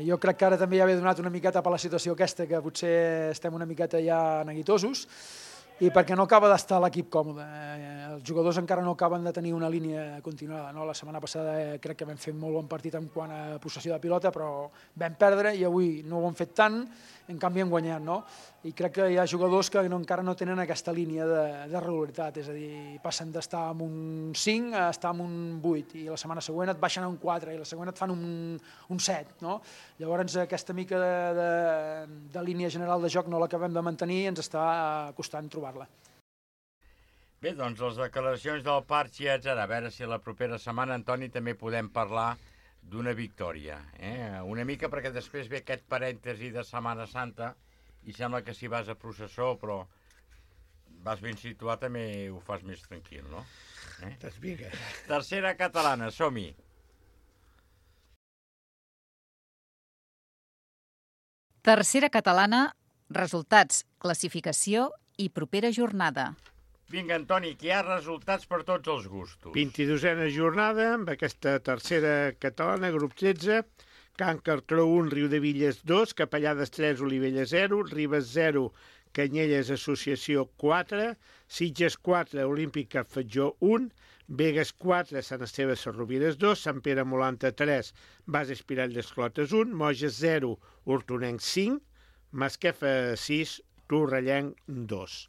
jo crec que ara també ja havia donat una miqueta per la situació aquesta, que potser estem una miqueta ja neguitosos, i perquè no acaba d'estar l'equip còmode. Els jugadors encara no acaben de tenir una línia continuada. La setmana passada crec que vam fer un molt bon partit en quant a possessió de pilota, però vam perdre i avui no ho hem fet tant, en canvi hem guanyat. I crec que hi ha jugadors que encara no tenen aquesta línia de regularitat, és a dir, passen d'estar en un 5 a estar en un 8, i la setmana següent et baixen a un 4, i la següent et fan un 7. Llavors aquesta mica de línia general de joc no l'acabem de mantenir i ens està costant trobar-la. Bé, doncs les declaracions del Parchi, etc. A veure si la propera setmana, Antoni, també podem parlar d'una victòria. Una mica perquè després ve aquest parèntesi de Setmana Santa i sembla que si vas a processó, però vas ben situat, també ho fas més tranquil, no? Vinga. Tercera catalana, som-hi. Tercera catalana, resultats, classificació i propera jornada. Vinga, Antoni, que hi ha resultats per tots els gustos. 22a jornada, amb aquesta tercera catalana, grup 13, Can Cartró 1, Riudevilles 2, Capellades 3, Olivella 0, Ribes 0, Canyelles Associació 4, Sitges 4, Olímpic Cap Fatjó 1, Begues 4, Sant Esteve Sarrovires 2, Sant Pere Molanta 3, Bas Espirall d'Esclotes 1, Moges 0, Hortonenc 5, Masquefa 6, Torrellenc 2.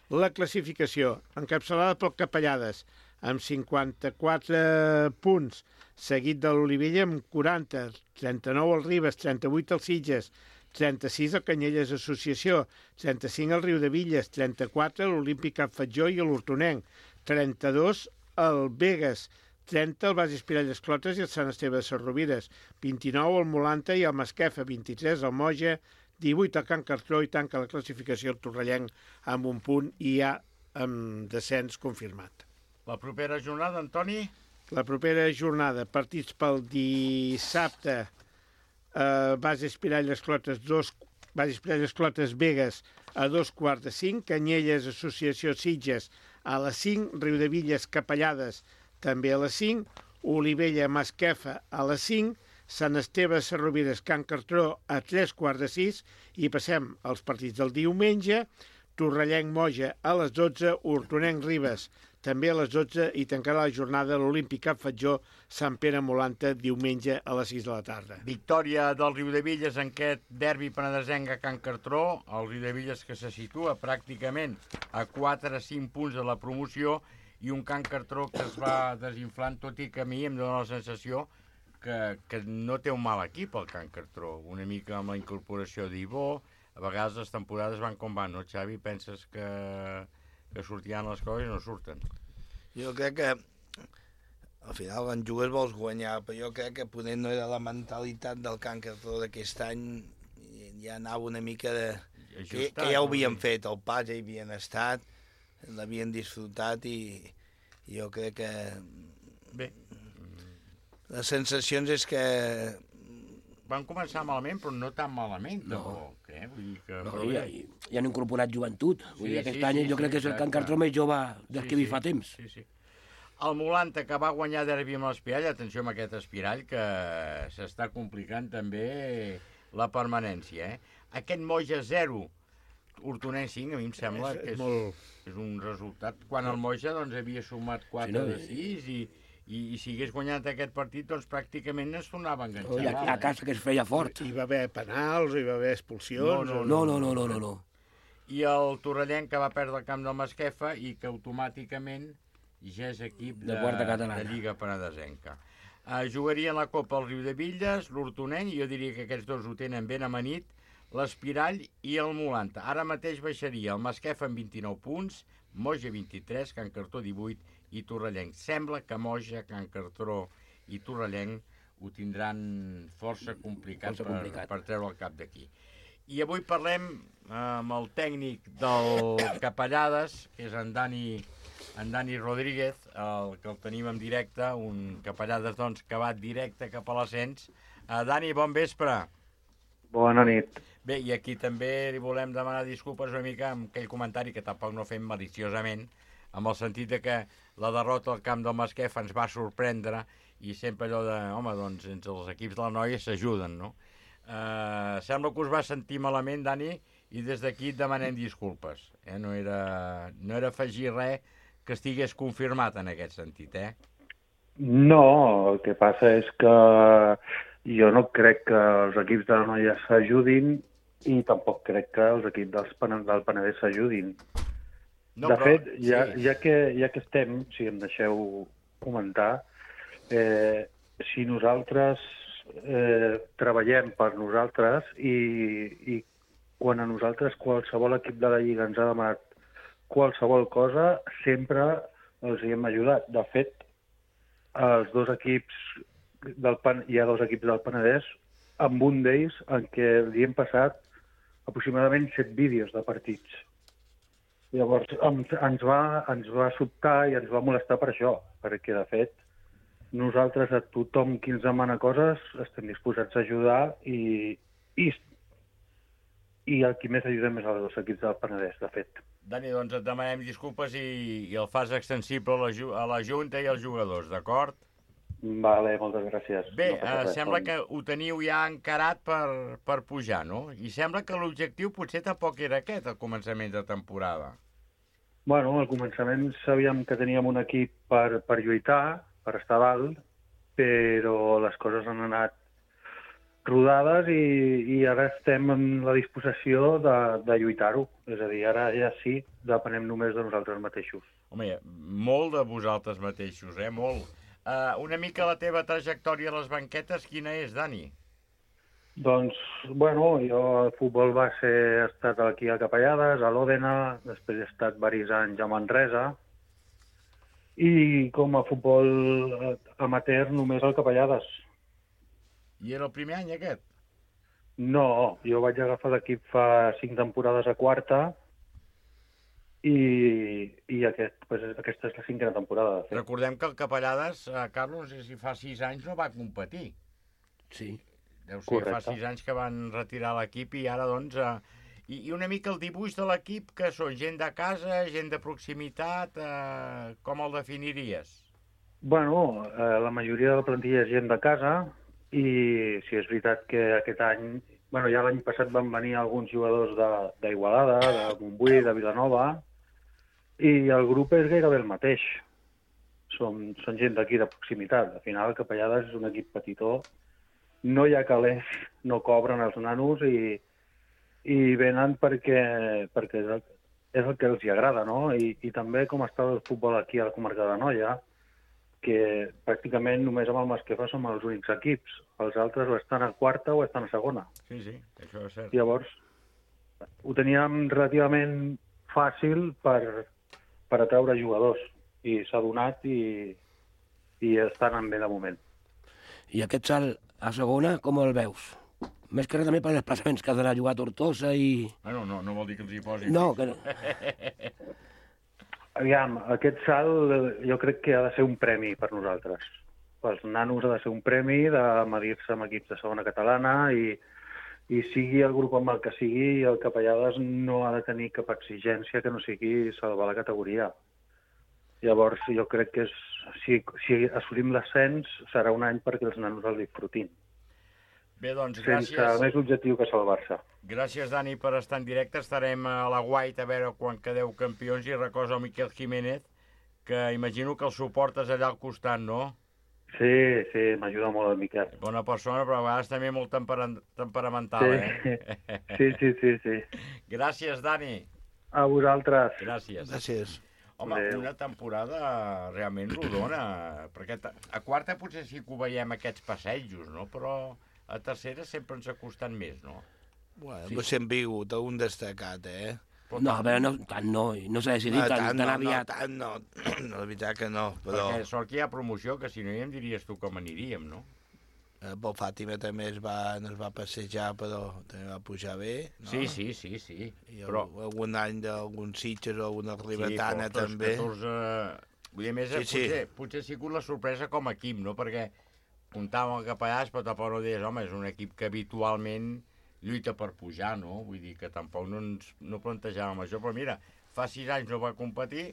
La classificació, encapçalada pel Capellades, amb 54 punts, seguit de l'Olivella amb 40, 39 al Ribes, 38 al Sitges, 36 al Canyelles Associació, 35 al Riudevilles, 34 a l'Olímpic Cap Fatjó i a l'Hortonenc, 32 al Begues, 30 al Bas Espirall d'Esclotes i al Sant Esteve de Sarrovires, 29 al Molanta i al Masquefa, 23 al Moja, 18 al Can Cartró i tanca la classificació el Torrellenc amb un punt i ja amb descens confirmat. La propera jornada, Antoni? La propera jornada, partits pel dissabte, Bas Espirall d'Esclotes 2, Bas Espirall d'Esclotes Begues a 2:45, Canyelles Associació Sitges a les 5, Riudevilles Capellades també a les 5, Olivella Masquefa a les 5, Sant Esteve Sarrovires Can Cartró a 3:45 i passem als partits del diumenge, Torrellenc Moja a les 12, Hortonenc Ribes també a les 12 i tancarà la jornada l'Olímpic Cap Fatjó Sant Pere Molanta diumenge a les 6 de la tarda. Victòria del Riudevilles en aquest derbi penedesenc a Can Cartró, el Riudevilles que se situa pràcticament a 4-5 punts de la promoció i un Can Cartró que es va desinflant, tot i que a mi em dóna la sensació que no té un mal equip el Can Cartró, una mica amb la incorporació d'Ibó, a vegades les temporades van com van, no Xavi? Penses que sortiran les coses i no surten? Jo crec que al final quan jugues vols guanyar, però jo crec que poder no era la mentalitat del Can Cartró d'aquest any, ja anava una mica de... que ja ho havien fet, el pas ja hi havien estat, l'havien disfrutat i jo crec que... Bé. Les sensacions és que... Van començar malament, però no tan malament, tampoc. Vull dir que... No, ja han incorporat joventut. Vull dir, aquest any jo crec que és el Can Cartró més jove del que hi fa temps. Sí, sí. El Molanta, que va guanyar derbi amb l'Espirall, atenció amb aquest Espirall, que s'està complicant també la permanència. Aquest Moja 0, Hortonenc 5, a mi em sembla que és un resultat. Quan el Moja havia sumat 4 de 6 i si hagués guanyat aquest partit, doncs pràcticament es tornava a enganxar. I a casa que es feia fort. Hi va haver penals, hi va haver expulsions... No. I el Torrellenc, que va perdre el camp del Masquefa i que automàticament ja és equip de Lliga Penedesenca. Jugarien la Copa al Riudebitlles, l'Hortonenc, i jo diria que aquests dos ho tenen ben amanit, l'Espirall i el Molanta. Ara mateix baixaria el Masquefa amb 29 punts, Moja 23, Can Cartró 18 i Torrellenc. Sembla que Moja, Can Cartró i Torrellenc ho tindran força complicat per treure el cap d'aquí. I avui parlem amb el tècnic del Capellades, que és en Dani Rodríguez, que el tenim en directe, un Capellades doncs, que va directe cap a l'ascens. Dani, bon vespre. Bona nit. Bé, i aquí també li volem demanar disculpes una mica amb aquell comentari que tampoc no fem maliciosament, amb el sentit de que la derrota al camp del Masquefa ens va sorprendre i sempre allò de, home, doncs, entre els equips de la noia s'ajuden, no? Sembla que us va sentir malament, Dani, i des d'aquí et demanem disculpes. No era afegir res que estigués confirmat en aquest sentit, No, el que passa és que jo no crec que els equips de la noia s'ajudin i tampoc crec que els equips del Penedès s'ajudin. No, de fet, ja que estem, si em deixeu comentar, si nosaltres treballem per nosaltres i quan a nosaltres qualsevol equip de la Lliga ens ha demanat qualsevol cosa, sempre els hi hem ajudat. De fet, els dos equips hi ha dos equips del Penedès, amb un d'ells en què li hem passat aproximadament 7 vídeos de partits. Llavors ens va sobtar i ens va molestar per això, perquè de fet nosaltres a tothom qui ens demana coses estem disposats a ajudar i el qui més ajudem és els dos equips del Penedès, de fet. Dani, doncs et demanem disculpes i el fas extensible a la Junta i als jugadors, d'acord? Vale, moltes gràcies. Bé, sembla que ho teniu ja encarat per pujar, no? I sembla que l'objectiu potser tampoc era aquest, al començament de temporada. Bueno, al començament sabíem que teníem un equip per lluitar, per estar dalt, però les coses han anat rodades i ara estem en la disposició de lluitar-ho. És a dir, ara ja sí, depenem només de nosaltres mateixos. Home, molt de vosaltres mateixos, molt. Una mica la teva trajectòria a les banquetes, quina és, Dani? Doncs, bueno, jo al futbol he estat aquí a Capellades, a l'Òdena, després he estat diversos anys a Manresa, i com a futbol amateur només al Capellades. I era el primer any, aquest? No, jo vaig agafar l'equip fa 5 temporades a quarta i aquesta és la 5a temporada. De fet. Recordem que el Capellades, Carlos, no sé si fa 6 anys no va competir. Sí. Deu ser que fa 6 anys que van retirar l'equip i ara, doncs... I una mica el dibuix de l'equip, que són gent de casa, gent de proximitat, com el definiries? Bueno, la majoria de la plantilla és gent de casa i sí, és veritat que aquest any... Bueno, ja l'any passat van venir alguns jugadors d'Igualada, de Montbui, de Vilanova, i el grup és gairebé el mateix. Són gent d'aquí de proximitat. Al final, el Capellades és un equip petitó. No hi ha calés, no cobren els nanos i venen perquè és el que els agrada, no? I també com està el futbol aquí a la comarca de l'Anoia, que pràcticament només amb el Masquefa som els únics equips. Els altres o estan a quarta o estan a segona. Sí, això és cert. Llavors, ho teníem relativament fàcil per atraure jugadors i s'ha donat i i estan anant bé de moment. I aquest salt a segona, com el veus? Més que res també per desplaçaments, que has d'anar a jugar a Tortosa i... Bueno, no vol dir que els hi posin. No, que no. Aviam, aquest salt jo crec que ha de ser un premi per nosaltres. Pels nanos ha de ser un premi de medir-se amb equips de segona catalana i sigui el grup amb el que sigui, el Capellades no ha de tenir cap exigència que no sigui salvar la categoria. Llavors, jo crec que si assolim l'ascens serà un any perquè els nanos el disfrutin. Bé, doncs, gràcies. Sense més objectiu que salvar-se. Gràcies, Dani, per estar en directe. Estarem a la Guaita a veure quan quedeu campions i recordo a Miquel Jiménez, que imagino que el suportes allà al costat, no? Sí, m'ajuda molt el Miquel. Bona persona, però a vegades també molt temperamental, Sí. Gràcies, Dani. A vosaltres. Gràcies. Home, una temporada realment rodona, perquè a quarta potser sí que ho veiem aquests passejos, no? Però a tercera sempre ens ha costat més, no? Bueno, sí. Sempre hi ha hagut un destacat, No, però tant no s'ha decidit tan aviat. No, la veritat que no, però... Perquè sort que hi ha promoció, que si no ja em diries tu com aniríem, no? El Fàtima també es va passejar, però també va pujar bé, no? Sí. I algun any d'alguns Sitges o alguna ribetana també. 14... Vull dir, més, potser ha sigut la sorpresa com a equip, no? Perquè comptàvem el Capellades, però tampoc no deies, home, és un equip que habitualment lluita per pujar, no? Vull dir que tampoc no plantejàvem això, però mira, fa 6 anys no va competir,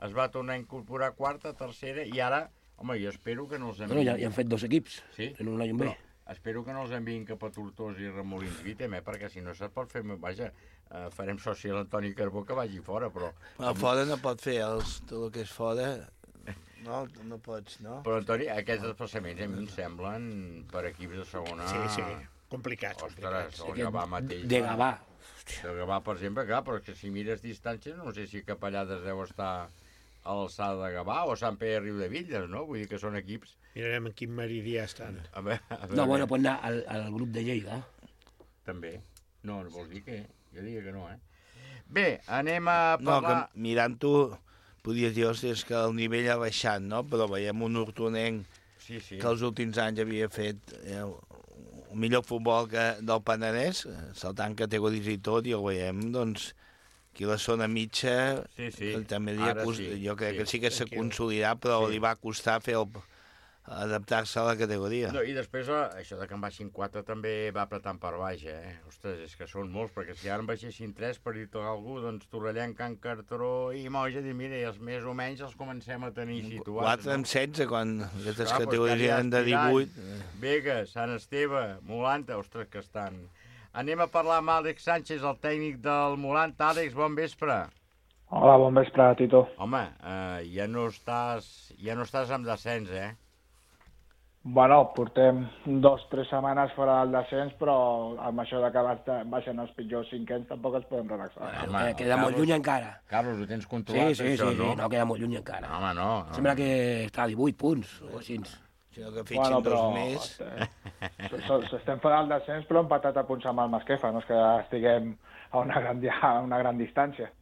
es va tornar a incorporar a quarta, tercera, i ara, home, jo espero que no els enviïn... Bueno, ja han fet 2 equips, en un any bé. Espero que no els enviïn cap a Tortosa i Remolins Vítem, perquè si no se't pot fer... Vaja, farem soci a l'Antoni Carbó que vagi fora, però... A fora no pot fer, tot el que és fora... No pots, no? Però, Antoni, aquests desplaçaments a mi em semblen per equips de segona... Sí, complicats. Ostres, el Gavà mateix. De Gavà. El Gavà, per exemple, clar, però que si mires distàncies, no sé si Capellades deu estar a l'alçada de Gavà o Sant Pere Riu de Villes, no? Vull dir que són equips... Mirarem en quin meridià estan. A veure, no, bueno, pot anar al grup de Lleida. També. No vols dir que... Jo diria que no, Bé, anem a parlar... No, que mirant-ho... Podies dir, és que el nivell ha baixat, no? Però veiem un hortonenc que els últims anys havia fet el millor futbol del Penedès, saltant categories i tot, i ho veiem, doncs, aquí la zona mitja, també jo crec que sí que s'ha consolidat, però li va costar adaptar-se a la categoria. No, i després això de que en baixin 4 també va apretant per baix, Ostres, és que són molts, perquè si ara en baixessin 3, per dir-te algú, doncs Torrellenc, Can Cartró i Moja, mira, i els més o menys els comencem a tenir situats. 4 amb 16, quan aquestes categories eren de 18. Vegas, Sant Esteve, Molanta, ostres, que estan... Anem a parlar amb Àlex Sánchez, el tècnic del Molanta. Àlex, bon vespre. Hola, bon vespre, Tito. Home, ja no estàs amb descens, Bueno, portem 2-3 setmanes fora del descens, però amb això de que baixen els pitjors cinquens tampoc ens podem relaxar. Queda molt lluny encara. Carlos, ho tens controlat, això, no? Sí, no, queda molt lluny encara. Home, no. Sembla que està a 18 punts, o així. Sinó que fitxin 2 més. Estem fora del descens, però empatat a punts amb el Masquefa, no és que estiguem a una gran distància.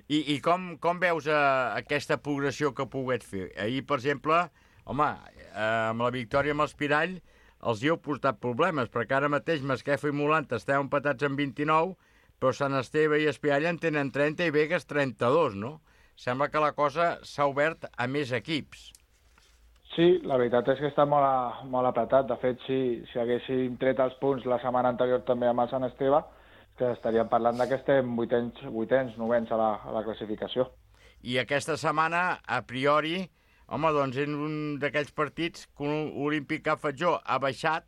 I com veus aquesta progressió que poguet fer? Ahir, per exemple, home, amb la victòria amb l'Espirall els hi heu portat problemes, perquè ara mateix Masquefa i Molanta esteu empatats amb 29, però Sant Esteve i Espirall en tenen 30 i Vegas 32, no? Sembla que la cosa s'ha obert a més equips. Sí, la veritat és que està molt apretat. De fet, si haguéssim tret els punts la setmana anterior també amb el Sant Esteve, que estaríem parlant que estem vuitens, novens a la classificació. I aquesta setmana, a priori, home, doncs en un d'aquells partits que l'Olímpic Cap Fatjó ha baixat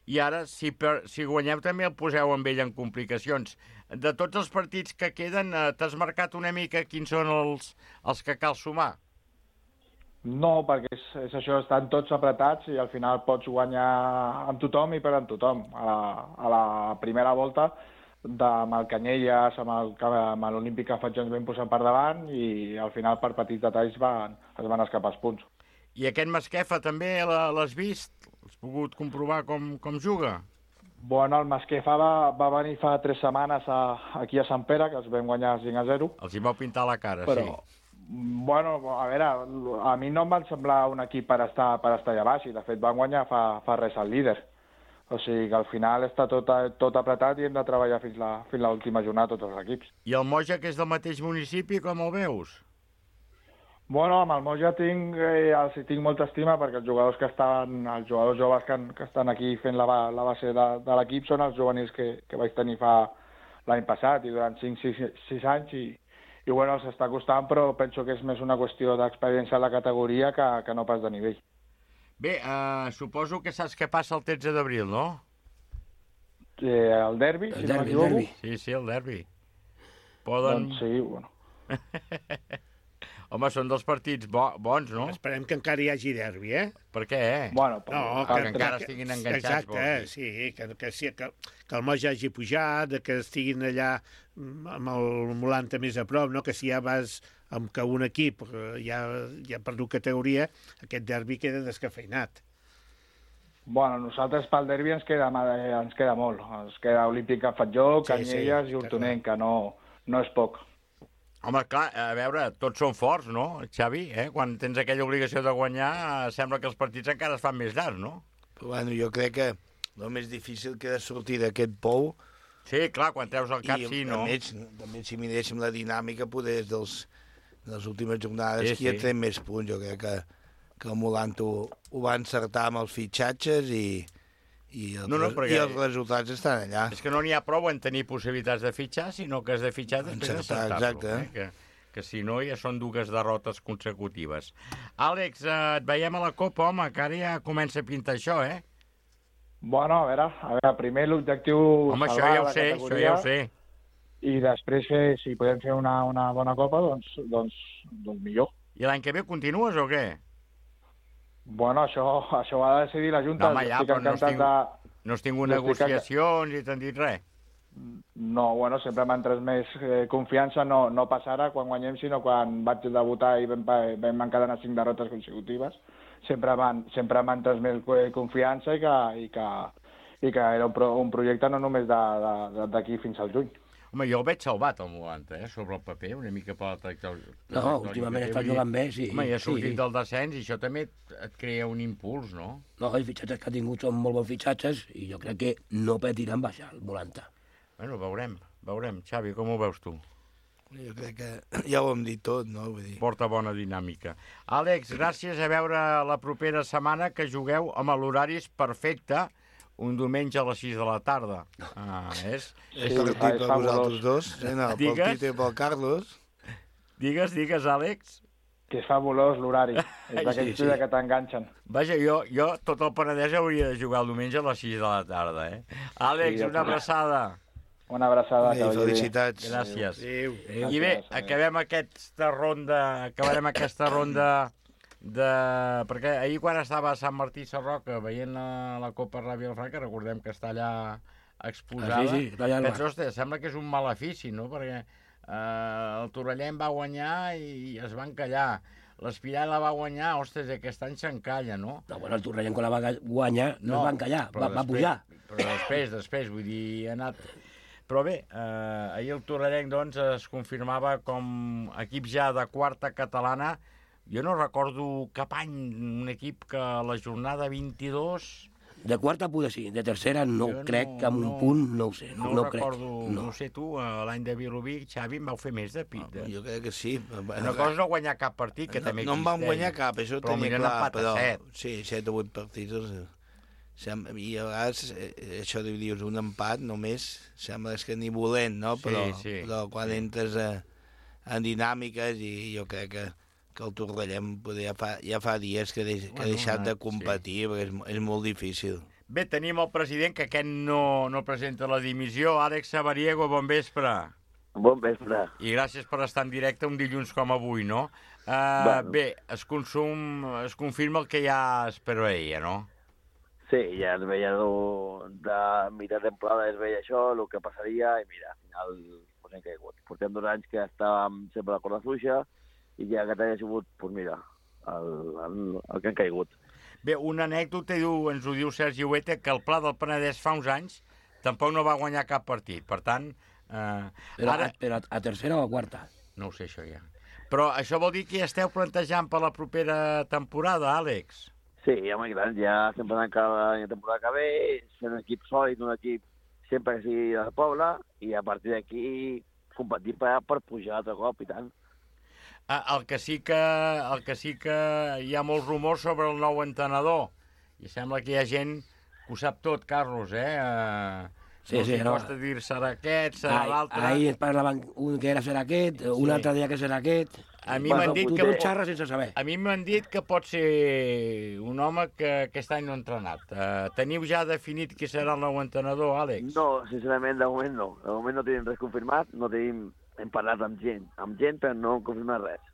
i ara, si guanyeu, també el poseu amb ell en complicacions. De tots els partits que queden, t'has marcat una mica quins són els que cal sumar? No, perquè és això, estan tots apretats i al final pots guanyar amb tothom i perdre amb tothom. A la primera volta, amb el Canyelles, amb l'Olímpic Cap Fatjó ens vam posar per davant i al final per petits detalls es van escapar els punts. I aquest Masquefa també l'has vist? Has pogut comprovar com juga? Bueno, el Masquefa va venir fa 3 setmanes aquí a Sant Pere, que els vam guanyar 5-0. Els hi vau pintar la cara, però, sí. Bueno, a veure, a mi no em van semblar un equip per estar allà baix, i de fet van guanyar fa res al líder. O sigui que al final està tot apretat i hem de treballar fins l'última jornada tots els equips. I el Moja, que és del mateix municipi, com el veus? Bueno, amb el Moja tinc molta estima perquè els jugadors joves que estan aquí fent la base de l'equip són els juvenils que vaig tenir l'any passat i durant 5-6 anys i bueno, els està costant, però penso que és més una qüestió d'experiència a la categoria que no pas de nivell. Bé, suposo que saps què passa el 13 d'abril, no? El derbi, si no m'equivoco. Sí, el derbi. Poden... Doncs sí, bueno. Home, són dels partits bons, no? Esperem que encara hi hagi derbi, eh? Per què? Bueno, que encara estiguin enganxats. Exacte, sí, que el Moja hagi pujat, que estiguin allà amb el Molanta més a prop, no? Que si ja vas amb que un equip ja ha perdut categoria, aquest derbi queda descafeinat. Bueno, nosaltres pel derbi ens queda molt. Ens queda Olímpic a Fatjó, Canyelles i Hortonenc, que no és poc. Home, clar, a veure, tots són forts, no, Xavi? Quan tens aquella obligació de guanyar, sembla que els partits encara es fan més llargs, no? Bueno, jo crec que el més difícil que de sortir d'aquest pou... Sí, clar, quan treus el cap, sí, no? També si miréssim la dinàmica, poder de les últimes jornades, qui ha tret més punts. Jo crec que el Molant ho va encertar amb els fitxatges i els resultats estan allà. És que no n'hi ha prou en tenir possibilitats de fitxar, sinó que has de fitxar després d'encertar-lo. Exacte. Que si no ja són dues derrotes consecutives. Àlex, et veiem a la Copa, home, que ara ja comença a pintar això, eh? Bueno, a veure, primer l'objectiu... Home, això ja ho sé. I després, si podem fer una bona Copa, doncs millor. I l'any que ve continues o què? Bueno, això ho ha de decidir la Junta. No, home, ja, però no has tingut negociacions i t'han dit res. No, bueno, sempre m'han tret més confiança, no pas ara, quan guanyem, sinó quan vaig debutar i vam encadenar 5 derrotes consecutives. Sempre m'han tret més confiança i que era un projecte no només d'aquí fins al juny. Home, jo el veig salvat, el Molanta, sobre el paper, una mica per la trajectòria. No, últimament està jugant bé, sí. Home, i ha sortit del descens i això també et crea un impuls, no? No, els fitxatges que ha tingut són molt bons fitxatges i jo crec que no patiran baixar el Molanta. Bueno, veurem. Xavi, com ho veus tu? Jo crec que ja ho hem dit tot, no? Vull dir... Porta bona dinàmica. Àlex, gràcies, a veure la propera setmana que jugueu amb l'horari perfecte, un diumenge a les 6 de la tarda. És partit per vosaltres dos. Pel Tito i pel Carlos. Digues, Àlex. Que és fabulós l'horari. És d'aquells que t'enganxen. Vaja, jo tot el Penedès hauria de jugar el diumenge a les 6 de la tarda, eh? Àlex, una abraçada. Una abraçada. Felicitats. Gràcies. I bé, acabarem aquesta ronda perquè ahir quan estava a Sant Martí Sarroca veient la Copa Ràdio Vilafranca, recordem que està allà exposada, penso, ostres, sembla que és un malefici, no? Perquè el Torrellent va guanyar i es va encallar, l'Espirà la va guanyar, ostres, aquest any s'encalla, no? No, bueno, el Torrellent quan la va guanyar no es va encallar, va pujar. Però després, vull dir, ha anat... Però bé, ahir el Torrellent doncs, es confirmava com equip ja de quarta catalana. Jo no recordo cap any un equip que a la jornada 22... De quarta poder sí, de tercera crec que amb un punt no ho sé. No recordo, no ho sé tu, l'any de Vilobí, Xavi, em vau fer més de pit. Jo crec que sí. Una cosa no guanyar cap partit, que també existeix. No en vam guanyar cap, això ho tenia clar, però... 7. Sí, 7 o 8 partits. I a vegades, això de dius, un empat només, sembla que ni volent, no? Però quan entres en dinàmiques i jo crec que el Torrellent ja fa dies que ha deixat de competir, perquè és molt difícil. Bé, tenim el president, que aquest no presenta la dimissió. Àlex Sabariego, bon vespre. Bon vespre. I gràcies per estar en directe un dilluns com avui, no? Bé, es confirma el que ja es preveia, no? Sí, ja es veia de mitja temporada, es veia això, el que passaria, i mira, al final hem caigut. Portem 2 anys que estàvem sempre a la corda fluixa, i ja aquest any ha sigut, doncs mira, el que han caigut. Bé, una anècdota, ens ho diu Sergi Huete, que el Pla del Penedès fa uns anys tampoc no va guanyar cap partit, per tant... Però a tercera o a quarta? No ho sé, això ja. Però això vol dir que ja esteu plantejant per la propera temporada, Àlex? Sí, home, clar, ja estem pensant que la temporada que ve, ser un equip sòlid, un equip sempre que sigui del poble, i a partir d'aquí competir per pujar altre cop, i tant. El que sí que hi ha molts rumors sobre el nou entrenador, i sembla que hi ha gent que ho sap tot, Carlos, Sí, no costa dir serà aquest, serà l'altre. Ahir parlaven un que serà aquest, un altre dia que serà aquest. A mi m'han dit que... Tu xarres sense saber. A mi m'han dit que pot ser un home que aquest any no ha entrenat. Teniu ja definit qui serà el nou entrenador, Àlex? No, sincerament, de moment no. De moment no tenim res confirmat, hem parlat amb gent, però no hem confirmat res,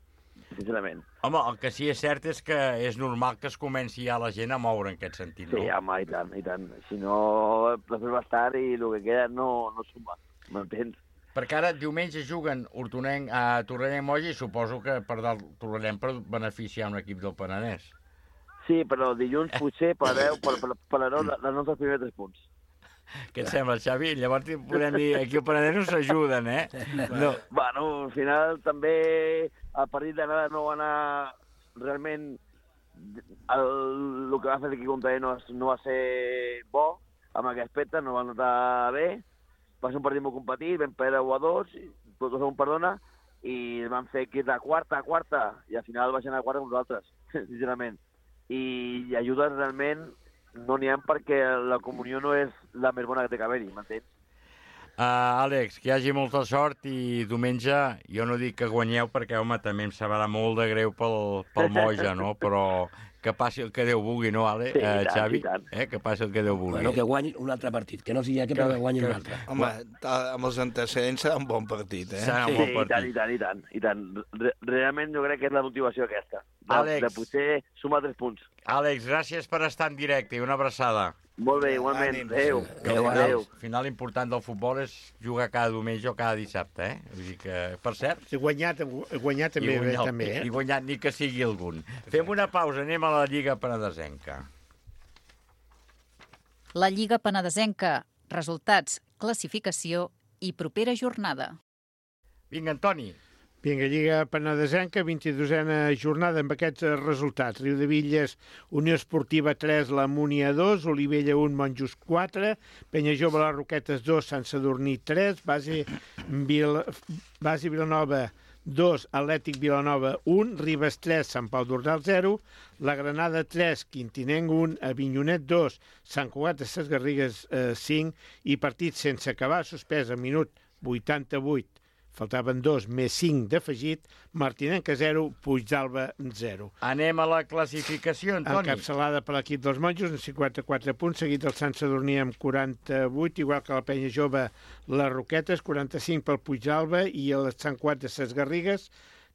sincerament. Home, el que sí és cert és que és normal que es comenci ja la gent a moure en aquest sentit, no? Sí, home, i tant. Si no, després va estar i el que queda no suma, m'entens? Perquè ara diumenge juguen Hortonenc a Torrellano Moja i suposo que per dalt Torrellano per beneficiar un equip del Penedès. Sí, però dilluns potser parlareu dels nostres primers 3 punts. Què et sembla, Xavi? Llavors podem dir aquí al Penedès no s'ajuden, No. Bueno, al final també el partit d'anada no va anar realment... El que va fer l'equip contrari no va ser bo amb aquest aspecte, no va notar bé. Va ser un partit molt competit, vam perdre 1-2, tot ho perdona, i vam fer equip de quarta, i al final baixen a quarta amb nosaltres, sincerament. I ajudes realment no n'hi ha perquè la comunió no és la més bona que té que haver-hi, m'entens? Àlex, que hi hagi molta sort i diumenge, jo no dic que guanyeu perquè, home, també em sabrà molt de greu pel Moja, no? Però que passi el que Déu vulgui, no, Àlex? Sí, Xavi? tant. Que passi el que Déu vulgui. Bueno, que guanyin un altre partit, que no sigui aquest, però que guanyin un altre. Home, amb els antecedents serà un bon partit, Serà un bon partit. I tant. Realment jo crec que és la motivació aquesta, de potser sumar 3 punts. Àlex, gràcies per estar en directe i una abraçada. Molt bé, igualment. Adéu. El final important del futbol és jugar cada diumenge o cada dissabte, Vull dir que, per cert... Guanyar també. I guanyar, ni que sigui algun. Fem una pausa, anem a la Lliga Penedesenca. La Lliga Penedesenca, resultats, classificació i propera jornada. Vinga, Antoni. Vinga, Lliga Penedesenca, 22a jornada amb aquests resultats. Riudebitlles, Unió Esportiva 3, la Múnia 2, Olivella 1, Monjos 4, Penyajove, les Roquetes 2, Sant Sadurní 3, Base Vilanova 2, Atlètic Vilanova 1, Ribes 3, Sant Pau d'Ordal 0, la Granada 3, Quintinenc 1, Avinyonet 2, Sant Cugat de Ses Garrigues 5 i partit sense acabar, suspès a minut 88. Faltaven 2 més 5 d'afegit, Martinenca 0, Puigdàlber 0. Anem a la classificació, Antoni. Encapçalada per l'equip dels Monjos amb 54 punts, seguit del Sant Sadurní amb 48, igual que la Penya Jove, les Roquetes, 45 pel Puigdàlber i el Sant Cugat de Ses Garrigues,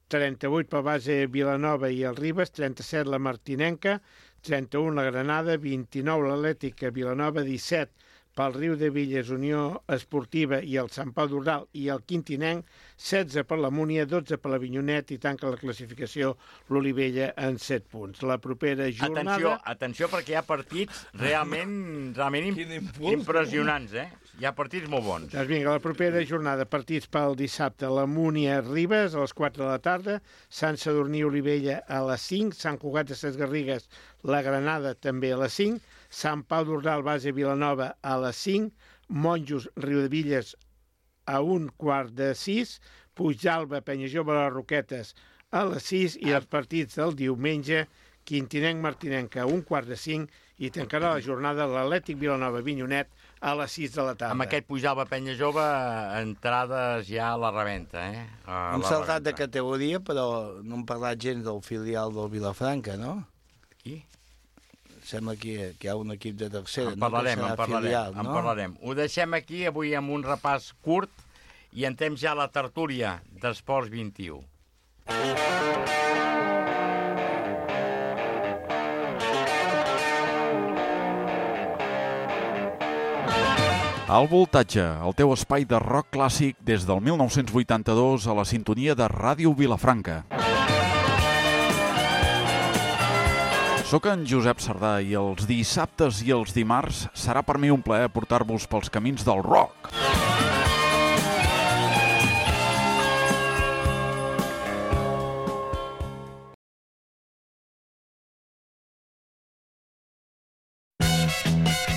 38 pel Base Vilanova i el Ribes, 37 la Martinenca, 31 la Granada, 29 l'Atlètica Vilanova, 17 pel Riudebitlles, Unió Esportiva i el Sant Pau d'Ordal i el Quintinenc, 16 per la Múnia, 12 per l'Avinyonet i tanca la classificació l'Olivella en 7 punts. La propera jornada... Atenció, perquè hi ha partits realment impressionants, Hi ha partits molt bons. Doncs vinga, la propera jornada, partits pel dissabte, la Múnia Ribes a les 4 de la tarda, Sant Sadurní Olivella a les 5, Sant Cugat de Ses Garrigues, la Granada també a les 5, Sant Pau d'Ordal, Base Vilanova a les 5, Monjos, Riudebitlles a 1:15, Puigdàlber, Penyajove, les Roquetes a les 6 i els partits del diumenge, Quintinenc, Martinenca a 1:45 i tancarà la jornada l'Atlètic Vilanova, Avinyonet a les 6 de la tarda. Amb aquest Puigdàlber, Penyajove, entrades ja a la reventa, Hem saltat de categoria, però no hem parlat gens del filial del Vilafranca, no? Qui? Sembla que hi ha un equip de tercera. En parlarem. Ho deixem aquí avui amb un repàs curt i entrem ja a la tertúlia d'Esports 21. Al Voltatge, el teu espai de rock clàssic des del 1982 a la sintonia de Ràdio Vilafranca. Soc en Josep Sardà i els dissabtes i els dimarts serà per mi un plaer portar-vos pels camins del rock.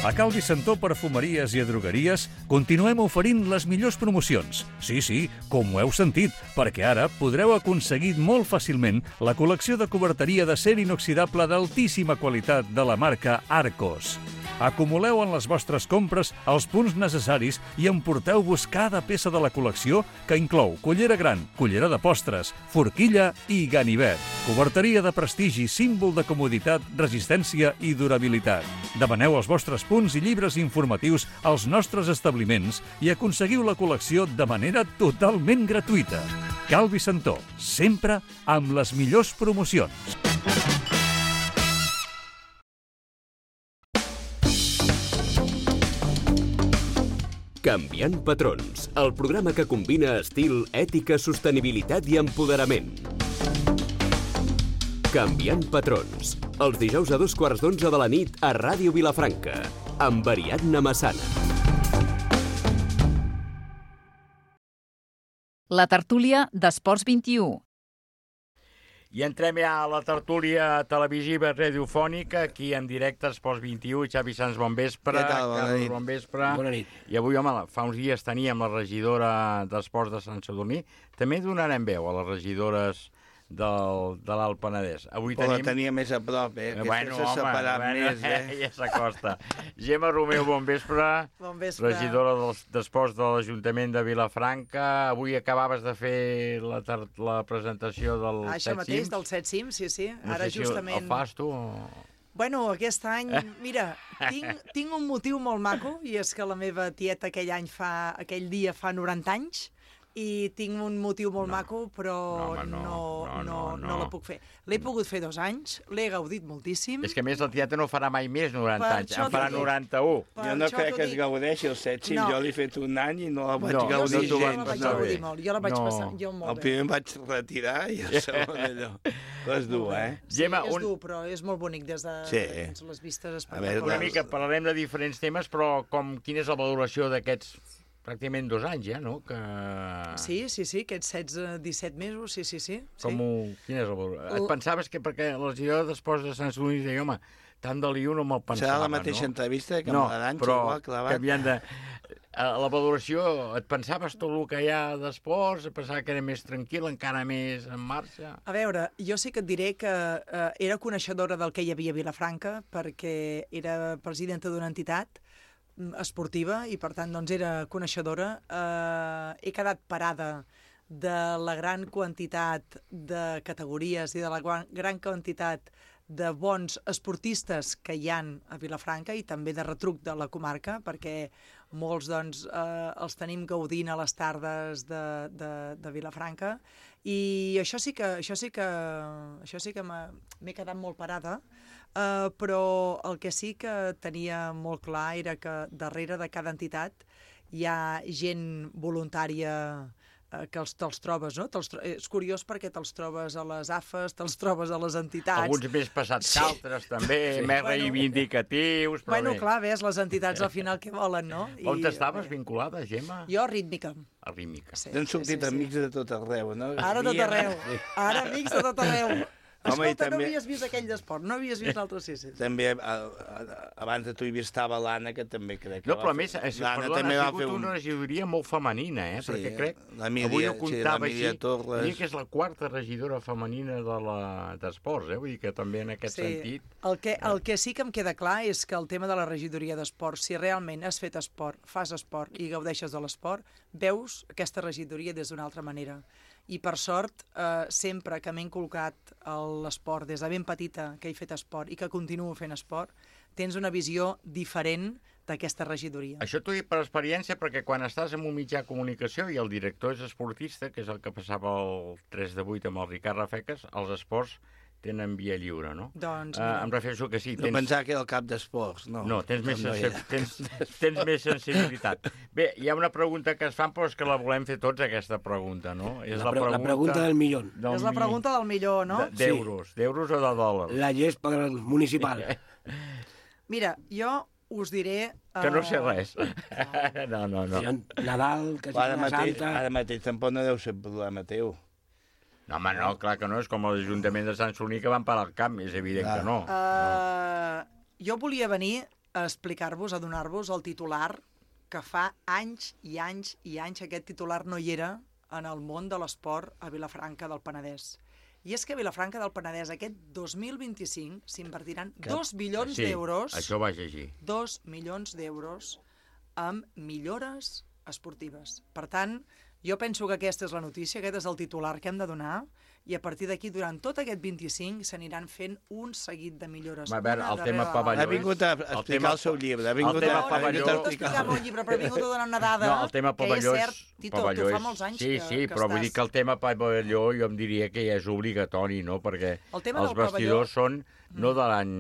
A Cal Vicentó Perfumeries i Drogueries continuem oferint les millors promocions. Sí, com ho heu sentit, perquè ara podreu aconseguir molt fàcilment la col·lecció de coberteria d'acer inoxidable d'altíssima qualitat de la marca Arcos. Acumuleu en les vostres compres els punts necessaris i emporteu-vos cada peça de la col·lecció que inclou cullera gran, cullera de postres, forquilla i ganivet. Coberteria de prestigi, símbol de comoditat, resistència i durabilitat. Demaneu els vostres punts i llibres informatius als nostres establiments i aconseguiu la col·lecció de manera totalment gratuïta. Cal Vicentó, sempre amb les millors promocions. Canviant patrons, el programa que combina estil, ètica, sostenibilitat i empoderament. Canviant patrons, els dijous a 11:15 de la nit a Ràdio Vilafranca, amb Ariadna Massana. La tertúlia d'Esports 21. I entrem ja a la tertúlia televisiva radiofònica, aquí en directe, Esports 21, Xavi Sans, bon vespre. Què tal? Bona nit. Bon vespre. Bona nit. I avui, home, fa uns dies teníem la regidora d'Esports de Sant Sadurní. També donarem veu a les regidores de l'Alt Penedès. Avui Però tenim... la tenia més a prop, Bueno, s'ha separat més, ja s'acosta. Gemma Romeu, bon vespre. Bon vespre. Regidora d'Esports de l'Ajuntament de Vilafranca. Avui acabaves de fer la presentació del Set Cims. Això mateix, del Set Cims, sí. No Ara sé si justament... el fas tu o... Bueno, aquest any, mira, tinc un motiu molt maco, i és que la meva tieta aquell dia fa 90 anys, i tinc un motiu molt maco, però no la puc fer. L'he pogut fer 2 anys, l'he gaudit moltíssim. És que a més la tieta no farà mai més 90 anys, en farà 91. Jo no crec que es gaudeixi el Set Cims, jo l'he fet un any i no la vaig gaudir gens. Jo la vaig gaudir molt, jo la vaig passar molt bé. El primer em vaig retirar i el segon allò. És dur, Sí, és dur, però és molt bonic des de les vistes espectaculars. Una mica parlarem de diferents temes, però quina és la valoració d'aquests pràcticament 2 anys, ja, no? Sí, aquests 17 mesos, sí. Quina és la valoració? Et pensaves que perquè la regidora d'Esports de Sant Sadurní deia, home, tant de lío no me'l pensava, serà la mateixa entrevista que amb l'Aranxa, però clavat. La valoració, et pensaves tot el que hi ha d'esports, pensava que era més tranquil, encara més en marxa? A veure, jo sí que et diré que era coneixedora del que hi havia a Vilafranca, perquè era presidenta d'una entitat esportiva i per tant doncs era coneixedora. He quedat parada de la gran quantitat de categories i de la gran quantitat de bons esportistes que hi han a Vilafranca i també de retruc de la comarca, perquè molts doncs els tenim gaudint a les tardes de Vilafranca, i això sí que m'he quedat molt parada. Però el que sí que tenia molt clar era que darrere de cada entitat hi ha gent voluntària que te'ls trobes, no? És curiós perquè te'ls trobes a les AFES, te'ls trobes a les entitats. Alguns més passats que altres, també, més reivindicatius. Bueno, clar, ves, les entitats al final què volen, no? On estaves vinculada, Gemma? Jo a Rítmica. A Rítmica. T'han sortit amics de tot arreu, no? Ara tot arreu. Ara amics de tot arreu. Escolta, no havies vist aquell d'esport, no havies vist l'altre, sí. També, abans de tu hi estava l'Anna, que també crec que no, però a més, perdona, ha sigut una regidoria molt femenina, perquè crec, avui ho comptava així, diria que és la 4ª regidora femenina d'esports, vull dir que també en aquest sentit... El que sí que em queda clar és que el tema de la regidoria d'esports, si realment has fet esport, fas esport i gaudeixes de l'esport, veus aquesta regidoria des d'una altra manera. I per sort, sempre que m'he inculcat l'esport, des de ben petita que he fet esport i que continuo fent esport, tens una visió diferent d'aquesta regidoria. Això t'ho dic per experiència, perquè quan estàs en un mitjà de comunicació i el director és esportista, que és el que passava el 3 de 8 amb el Ricard Rafeques, els esports tenen via lliure, no? Doncs, em refereixo que sí. No pensava que era el cap d'esports, no. No, tens més sensibilitat. Bé, hi ha una pregunta que es fan, però és que la volem fer tots, aquesta pregunta, no? És la pregunta del milló. És la pregunta del millor, no? D'euros o de dòlars? La gespa municipal. Mira, jo us diré... Que no sé res. No. Nadal, que Setmana Santa... Ara mateix tampoc no deu ser problema teu. No, home, no, clar que no, és com l'Ajuntament de Sant Sadurní que van parar el camp, és evident que no. Jo volia venir explicar-vos, adonar-vos el titular que fa anys i anys i anys aquest titular no hi era en el món de l'esport a Vilafranca del Penedès. I és que a Vilafranca del Penedès aquest 2025 s'invertiran 2 milions d'euros... Sí, això vaig llegir. 2 milions d'euros amb millores esportives. Per tant, jo penso que aquesta és la notícia, aquest és el titular que hem de donar, i a partir d'aquí, durant tot aquest 25, s'aniran fent un seguit de millores. A veure, el tema pavelló... Ha vingut a explicar el seu llibre. El tema pavelló... No, explicar el meu llibre, però ha vingut a donar una dada no, el tema pavelló que és cert. Tito, tu fa molts anys que Sí, però vull dir que el tema pavelló jo em diria que ja és obligatori, no? Perquè els vestidors són no de l'any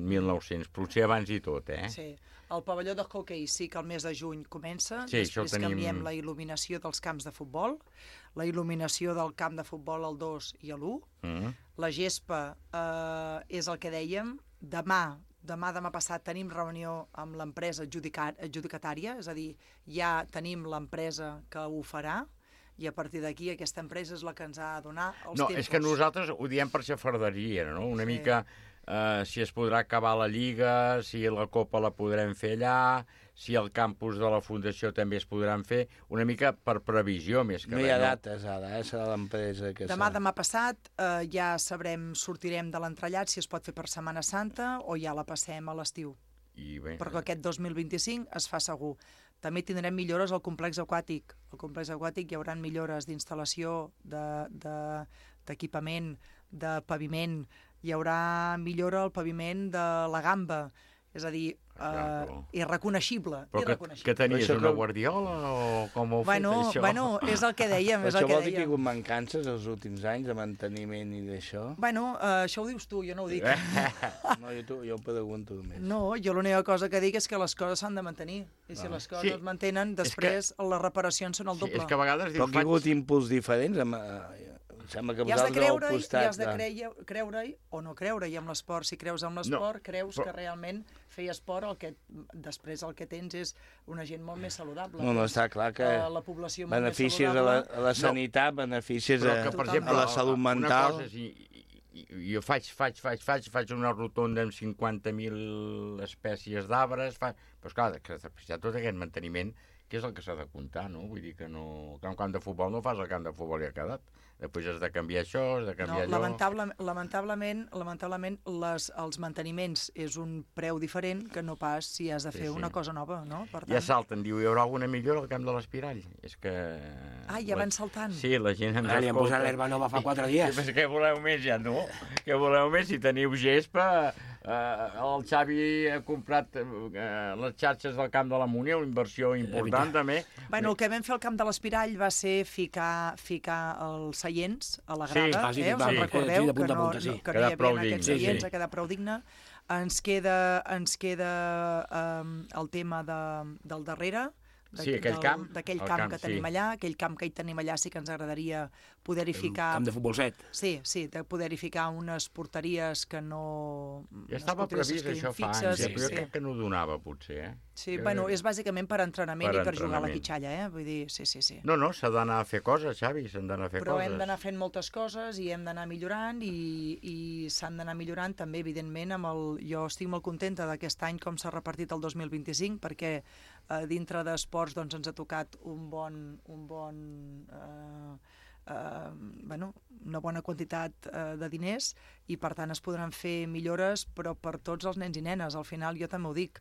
1900, potser abans i tot, eh? Sí. El pavelló de hoquei sí que el mes de juny comença, sí, després canviem la il·luminació dels camps de futbol, la il·luminació del camp de futbol al 2 i a l'1, la gespa és el que dèiem, demà passat tenim reunió amb l'empresa adjudicatària, és a dir, ja tenim l'empresa que ho farà, i a partir d'aquí aquesta empresa és la que ens ha de donar els tempos. No, és que nosaltres ho diem per xafarderia, no? Una mica... si es podrà acabar la Lliga, si la Copa la podrem fer allà, si el campus de la Fundació també es podran fer, una mica per previsió més que res. No hi ha dates ara, serà l'empresa que... Demà passat ja sortirem de l'entrellat si es pot fer per Setmana Santa o ja la passem a l'estiu. Perquè aquest 2025 es fa segur. També tindrem millores al complex aquàtic. Al complex aquàtic hi haurà millores d'instal·lació, d'equipament, de paviment, hi haurà millora al paviment de la Gamba, és a dir, irreconeixible. Però que tenies una guardiola o com ho heu fet, això? Bueno, és el que dèiem, és el que dèiem. Això vol dir que hi ha hagut mancances els últims anys de manteniment i d'això? Bueno, això ho dius tu, jo no ho dic. No, jo ho pregunto només. No, jo l'única cosa que dic és que les coses s'han de mantenir, i si les coses es mantenen, després les reparacions són el doble. És que a vegades... Però hi ha hagut impuls diferents sembla que vosaltres al costat... I has de creure-hi o no creure-hi amb l'esport. Si creus en l'esport, creus que realment fer esport, després el que tens és una gent molt més saludable. No, està clar que beneficis a la sanitat, beneficis a la salut mental... Jo faig una rotonda amb 50.000 espècies d'arbres, però esclar, que tot aquest manteniment, que és el que s'ha de comptar, no? Vull dir que no... Que un camp de futbol no fas el camp de futbol i ha quedat. Després has de canviar això, has de canviar allò... Lamentablement els manteniments és un preu diferent que no pas si has de fer una cosa nova, no? Per tant... Ja salten, diu, hi haurà alguna millora al camp de l'Espirall. És que... ja van saltant. Sí, la gent ens escolta. Li han posat l'herba nova fa 4 dies. Sí, què voleu més, ja, no? Què voleu més? Si teniu gespa... el Xavi ha comprat les xarxes del camp de la Múnia, una inversió important també. Bueno, el que vam fer al camp de l'Espirall va ser ficar els seients a la grada, us en recordeu que no hi havia aquests seients, ha quedat prou digne. Ens queda el tema del darrere, d'aquell camp que tenim allà, aquell camp que hi tenim allà sí que ens agradaria poder-hi ficar... Camp de futbol 7. Sí, de poder-hi ficar unes porteries que no... Ja estava previst això fa anys, però jo crec que no donava, potser, eh? Sí, bueno, és bàsicament per entrenament i per jugar a la quitxalla, Vull dir, sí. No, s'ha d'anar a fer coses, Xavi, s'han d'anar a fer coses. Però hem d'anar fent moltes coses i hem d'anar millorant i s'han d'anar millorant també, evidentment, jo estic molt contenta d'aquest any com s'ha repartit el 2025 perquè dintre d'esports doncs ens ha tocat una bona quantitat de diners i per tant es podran fer millores però per tots els nens i nenes, al final jo també ho dic,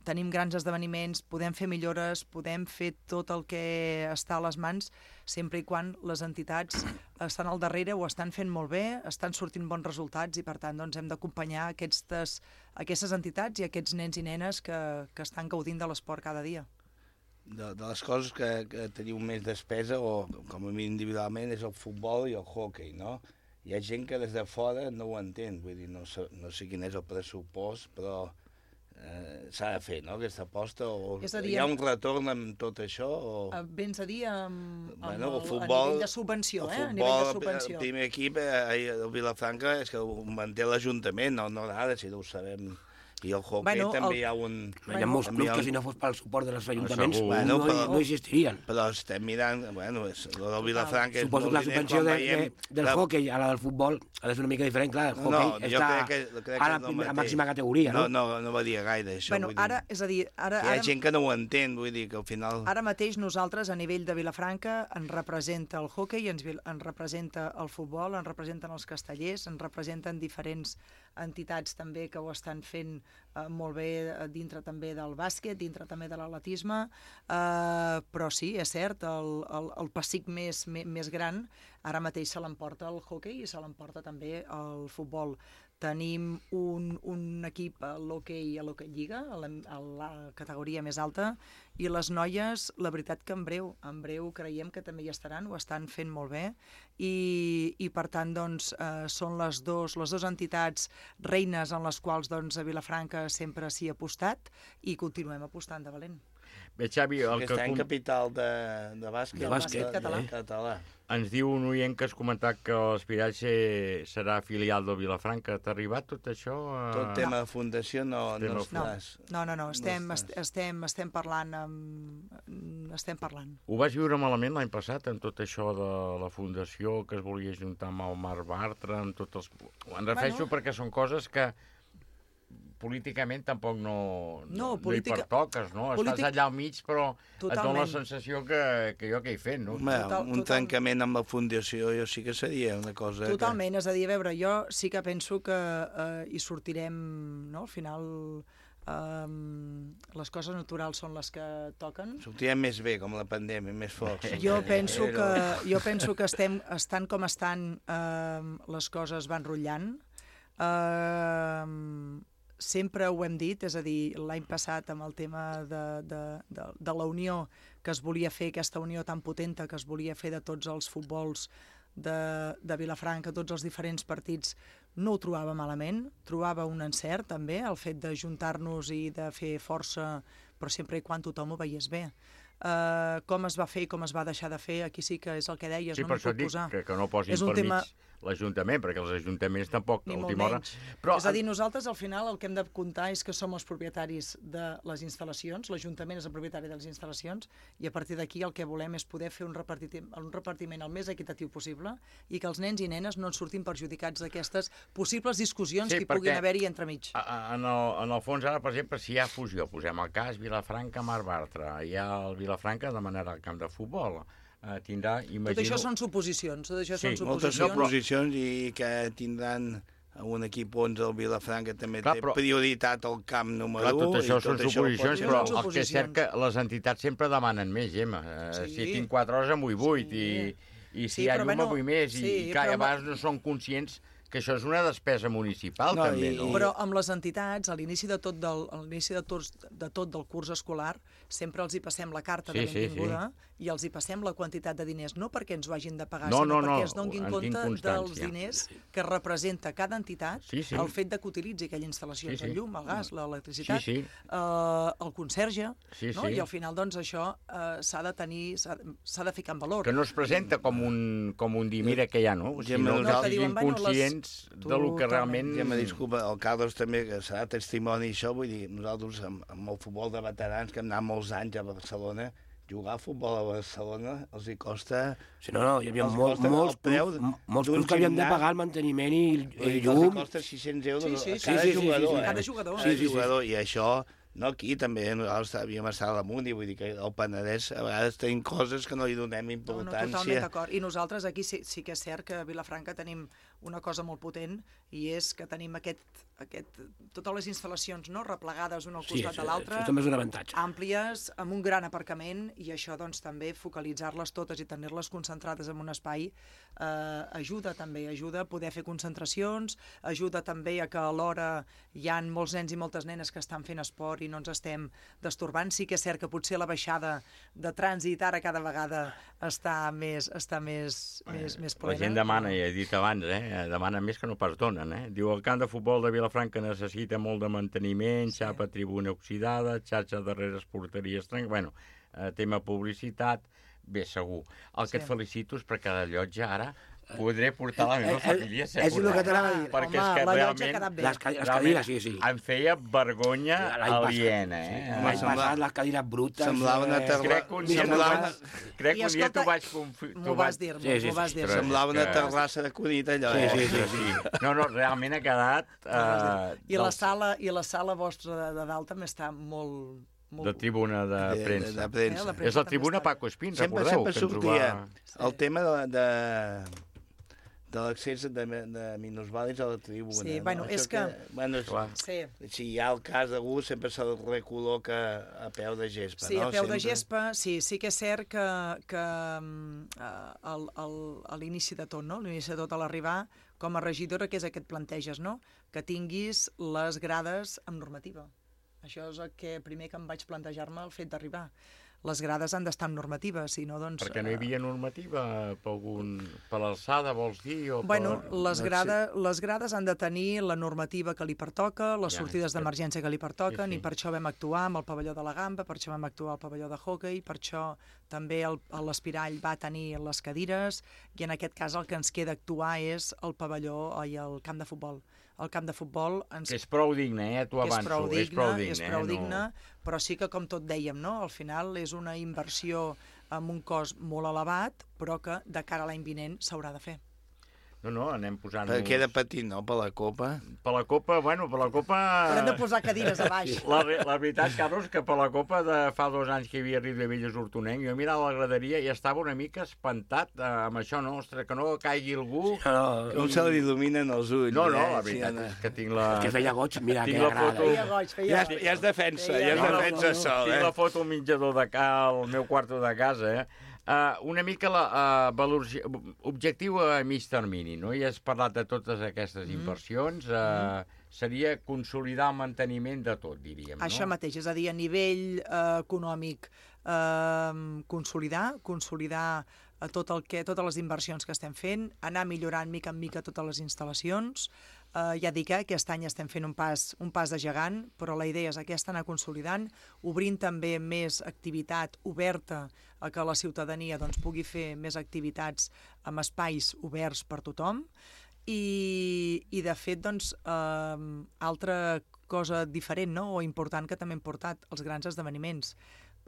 tenim grans esdeveniments, podem fer millores, podem fer tot el que està a les mans sempre i quan les entitats estan al darrere, ho estan fent molt bé, estan sortint bons resultats i per tant doncs, hem d'acompanyar aquestes entitats i aquests nens i nenes que estan gaudint de l'esport cada dia. De les coses que teniu més despesa, o com a mi individualment, és el futbol i el hoquei, no? Hi ha gent que des de fora no ho entén, vull dir, no sé quin és el pressupost, però s'ha de fer, no?, aquesta aposta, o hi ha un retorn amb tot això, o... Vens a dir a nivell de subvenció, a nivell de subvenció. El primer equip, el Vilafranca, és que ho manté l'Ajuntament, no ara, si no ho sabem... I el hockey també hi ha un... Hi ha molts clubs que si no fos pel suport dels ajuntaments no existirien. Però estem mirant... Bueno, el del Vilafranca... Suposo que la subvenció del hockey a la del futbol ha de ser una mica diferent, clar, el hockey està a la màxima categoria, no? No varia gaire, això. Bueno, ara, és a dir... Hi ha gent que no ho entén, vull dir que al final... Ara mateix nosaltres, a nivell de Vilafranca, ens representa el hockey, ens representa el futbol, ens representen els castellers, ens representen diferents entitats també que ho estan fent molt bé dintre també del bàsquet, dintre també de l'atletisme, però sí, és cert, el pessic més gran ara mateix se l'emporta el hockey i se l'emporta també el futbol. Tenim un equip a l'hoquei Lliga, a la categoria més alta, i les noies, la veritat que en breu creiem que també hi estaran, ho estan fent molt bé, i per tant doncs, són les dues entitats reines en les quals doncs, a Vilafranca sempre s'hi ha apostat i continuem apostant de valent. Bé, Xavi, està en capital de bàsquet català. Ens diu un oient que has comentat que l'Espiratge serà filial del Vilafranca. T'ha arribat tot això? Tot tema de fundació no es fas. No, estem parlant. Ho vas viure malament l'any passat amb tot això de la fundació que es volia juntar amb el Marc Bartra, amb tots els... Em refereixo perquè són coses que políticament tampoc no hi pertoques, no? Estàs allà al mig, però et dona la sensació que jo què he fet, no? Un trencament amb la fundació jo sí que seria una cosa... Totalment, és a dir, a veure, jo sí que penso que hi sortirem, no? Al final les coses naturals són les que toquen. Sortirem més bé, com la pandèmia, més forts. Jo penso que estan com estan, les coses van rotllant. Sempre ho hem dit, és a dir, l'any passat amb el tema de la unió que es volia fer, aquesta unió tan potenta que es volia fer de tots els futbols de Vilafranca, tots els diferents partits, no ho trobava malament, trobava un encert també, el fet de juntar-nos i de fer força, però sempre i quan tothom ho veiés bé. Com es va fer i com es va deixar de fer, aquí sí que és el que deies, sí, no m'hi puc posar. Sí, per això dic que no posin per mig l'Ajuntament, perquè els ajuntaments tampoc a última hora... Però... És a dir, nosaltres al final el que hem de comptar és que som els propietaris de les instal·lacions, l'Ajuntament és el propietari de les instal·lacions, i a partir d'aquí el que volem és poder fer un repartiment el més equitatiu possible i que els nens i nenes no en surtin perjudicats d'aquestes possibles discussions que hi puguin haver-hi entremig. En el fons, ara, per exemple, si hi ha fusió, posem el cas Vilafranca-Marc Bartra, hi ha el Vilafranca demanarà el camp de futbol, tindrà, imagino... Tot això són suposicions. Moltes suposicions i que tindran un equip 11 del Vilafranca també té prioritat al camp número 1. Tot això són suposicions, però el que és cert que les entitats sempre demanen més, Gemma. Si tinc 4 hores en vull 8 i si hi ha llum en vull més i a vegades no són conscients que això és una despesa municipal, també, no? Però amb les entitats, a l'inici de tot del curs escolar, sempre els hi passem la carta de benvinguda i els hi passem la quantitat de diners, no perquè ens ho hagin de pagar, sinó perquè es donin compte dels diners que representa cada entitat el fet que utilitzi aquella instal·lació, el llum, el gas, l'electricitat, el conserge, i al final doncs això s'ha de ficar en valor. Que no es presenta com un dir, mira que hi ha, no? Sinó que siguin conscients del que realment... Ja me disculpa, el Carlos també, que serà testimoni això, vull dir, nosaltres amb el futbol de veterans, que hem anat molts anys a Barcelona, jugar a futbol a Barcelona els hi costa... Sí, no, hi havia molts clubs que havien de pagar el manteniment i llum. Els costa 600 euros cada jugador. I això... No, aquí també nosaltres havíem estat a l'Amunt i vull dir que al Penedès a vegades tenim coses que no hi donem importància. No, totalment d'acord. I nosaltres aquí sí que és cert que a Vilafranca tenim una cosa molt potent i és que tenim totes les instal·lacions replegades una al costat de l'altra, també és un avantatge. Àmplies, amb un gran aparcament, i això doncs també focalitzar-les totes i tenir-les concentrades en un espai ajuda a poder fer concentracions, ajuda també a que alhora hi ha molts nens i moltes nenes que estan fent esport i no ens estem destorbant. Sí que és cert que potser la baixada de trànsit ara cada vegada està més plena. La gent demana, ja he dit abans, demana més que no pas donen. Diu, el camp de futbol de Vilafranca necessita molt de manteniment, xapa tribuna oxidada, xarxa darreres porteries trenc... Bueno, tema publicitat, bé, segur. El que et felicito és perquè la llotja ara podré portar la meva família a ser És el que t'anava a dir. perquè és que realment Les cadires, sí. em feia vergonya aliena. L'any passat les cadires brutes... Semblava una terrassa... Crec que un dia t'ho vaig... M'ho vas dir. Semblava una terrassa de Cunit, allò. Sí. No, realment ha quedat... I la sala vostra de dalt també està molt... De tribuna de premsa. És la tribuna Paco Espín, recordeu? Sempre sortia el tema de l'accés de minusvàlids a la tribuna. Sí, bueno, és que... Si hi ha el cas d'algú, sempre se'l recol·loca a peu de gespa, no? Sí, a peu de gespa, sí que és cert que a l'inici de tot, no? A l'inici de tot, a l'arribar, com a regidora, què és el que et planteges, no? Que tinguis les grades amb normativa. Això és el que primer que em vaig plantejar-me el fet d'arribar. Les grades han d'estar en normativa, si no, doncs... Perquè no hi havia normativa per l'alçada, vols dir? Bueno, les grades han de tenir la normativa que li pertoca, les sortides d'emergència que li pertoquen, i per això vam actuar amb el pavelló de la gamba, per això vam actuar al pavelló de hoquei, per això també l'Espirall va tenir les cadires, i en aquest cas el que ens queda actuar és el pavelló i el camp de futbol. El camp de futbol... Que és prou digne, t'ho avanço. És prou digne, però sí que, com tot dèiem, no? Al final és una inversió amb un cost molt elevat, però que de cara a l'any vinent s'haurà de fer. No, anem posant-nos... Perquè queda petit, no?, per la Copa. Per la Copa... Haurem de posar cadires a baix. La veritat, Carlos, que per la Copa de fa 2 anys que hi havia Riu de Velles Hortonenc, jo mirava la graderia i estava una mica espantat amb això, no? Ostres, que no caigui algú... Com se li il·luminen els ulls. No, la veritat és que tinc la... Que feia goig, mira, que agrada. Ja és defensa, sol, Tinc la foto al menjador al meu quarto de casa, una mica l'objectiu a mig termini, no? Ja has parlat de totes aquestes inversions, seria consolidar el manteniment de tot, diríem, no? Això mateix, és a dir, a nivell econòmic, consolidar totes les inversions que estem fent, anar millorant mica en mica totes les instal·lacions. Ja dic, aquest any estem fent un pas de gegant, però la idea és aquesta, anar consolidant, obrint també més activitat oberta a que la ciutadania pugui fer més activitats amb espais oberts per tothom. I de fet, altra cosa diferent, no?, o important que també hem portat, els grans esdeveniments.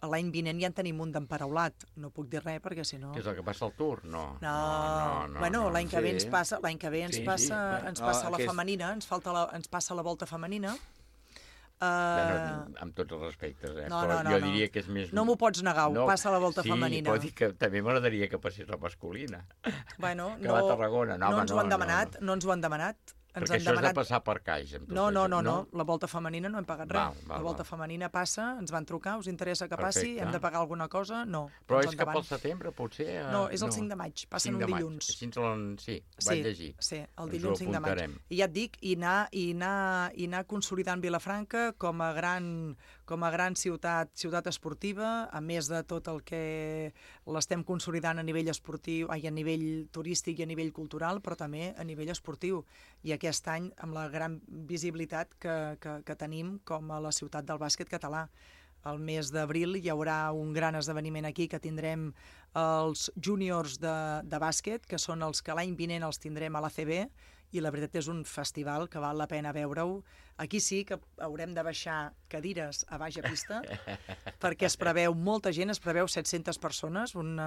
L'any vinent ja en tenim un d'emparaulat. No puc dir res perquè si no... Què és el que passa al Tour? No. Bueno, l'any que ve ens passa la femenina, ens passa la volta femenina. Amb tots els respectes, però jo diria que és més... No m'ho pots negar, passa la volta femenina. Sí, pot dir que també m'agradaria que passés la masculina. Bueno, que va a Tarragona. No ens ho han demanat. Perquè això és de passar per caix. No, la volta femenina no hem pagat res. La volta femenina passa, ens van trucar, us interessa que passi, hem de pagar alguna cosa? No. Però és cap al setembre, potser? No, és el 5 de maig, passen un dilluns. Sí, vaig llegir. Sí, el dilluns 5 de maig. I ja et dic, i anar consolidant Vilafranca com a gran ciutat esportiva, a més de tot el que l'estem consolidant a nivell esportiu, a nivell turístic i a nivell cultural, però també a nivell esportiu. I aquest any amb la gran visibilitat que tenim com a la ciutat del bàsquet català. El mes d'abril hi haurà un gran esdeveniment aquí que tindrem els júniors de bàsquet, que són els que l'any vinent els tindrem a l'ACB, i la veritat és un festival que val la pena veure-ho. Aquí sí que haurem de baixar cadires a baix a pista, perquè es preveu molta gent, es preveu 700 persones, un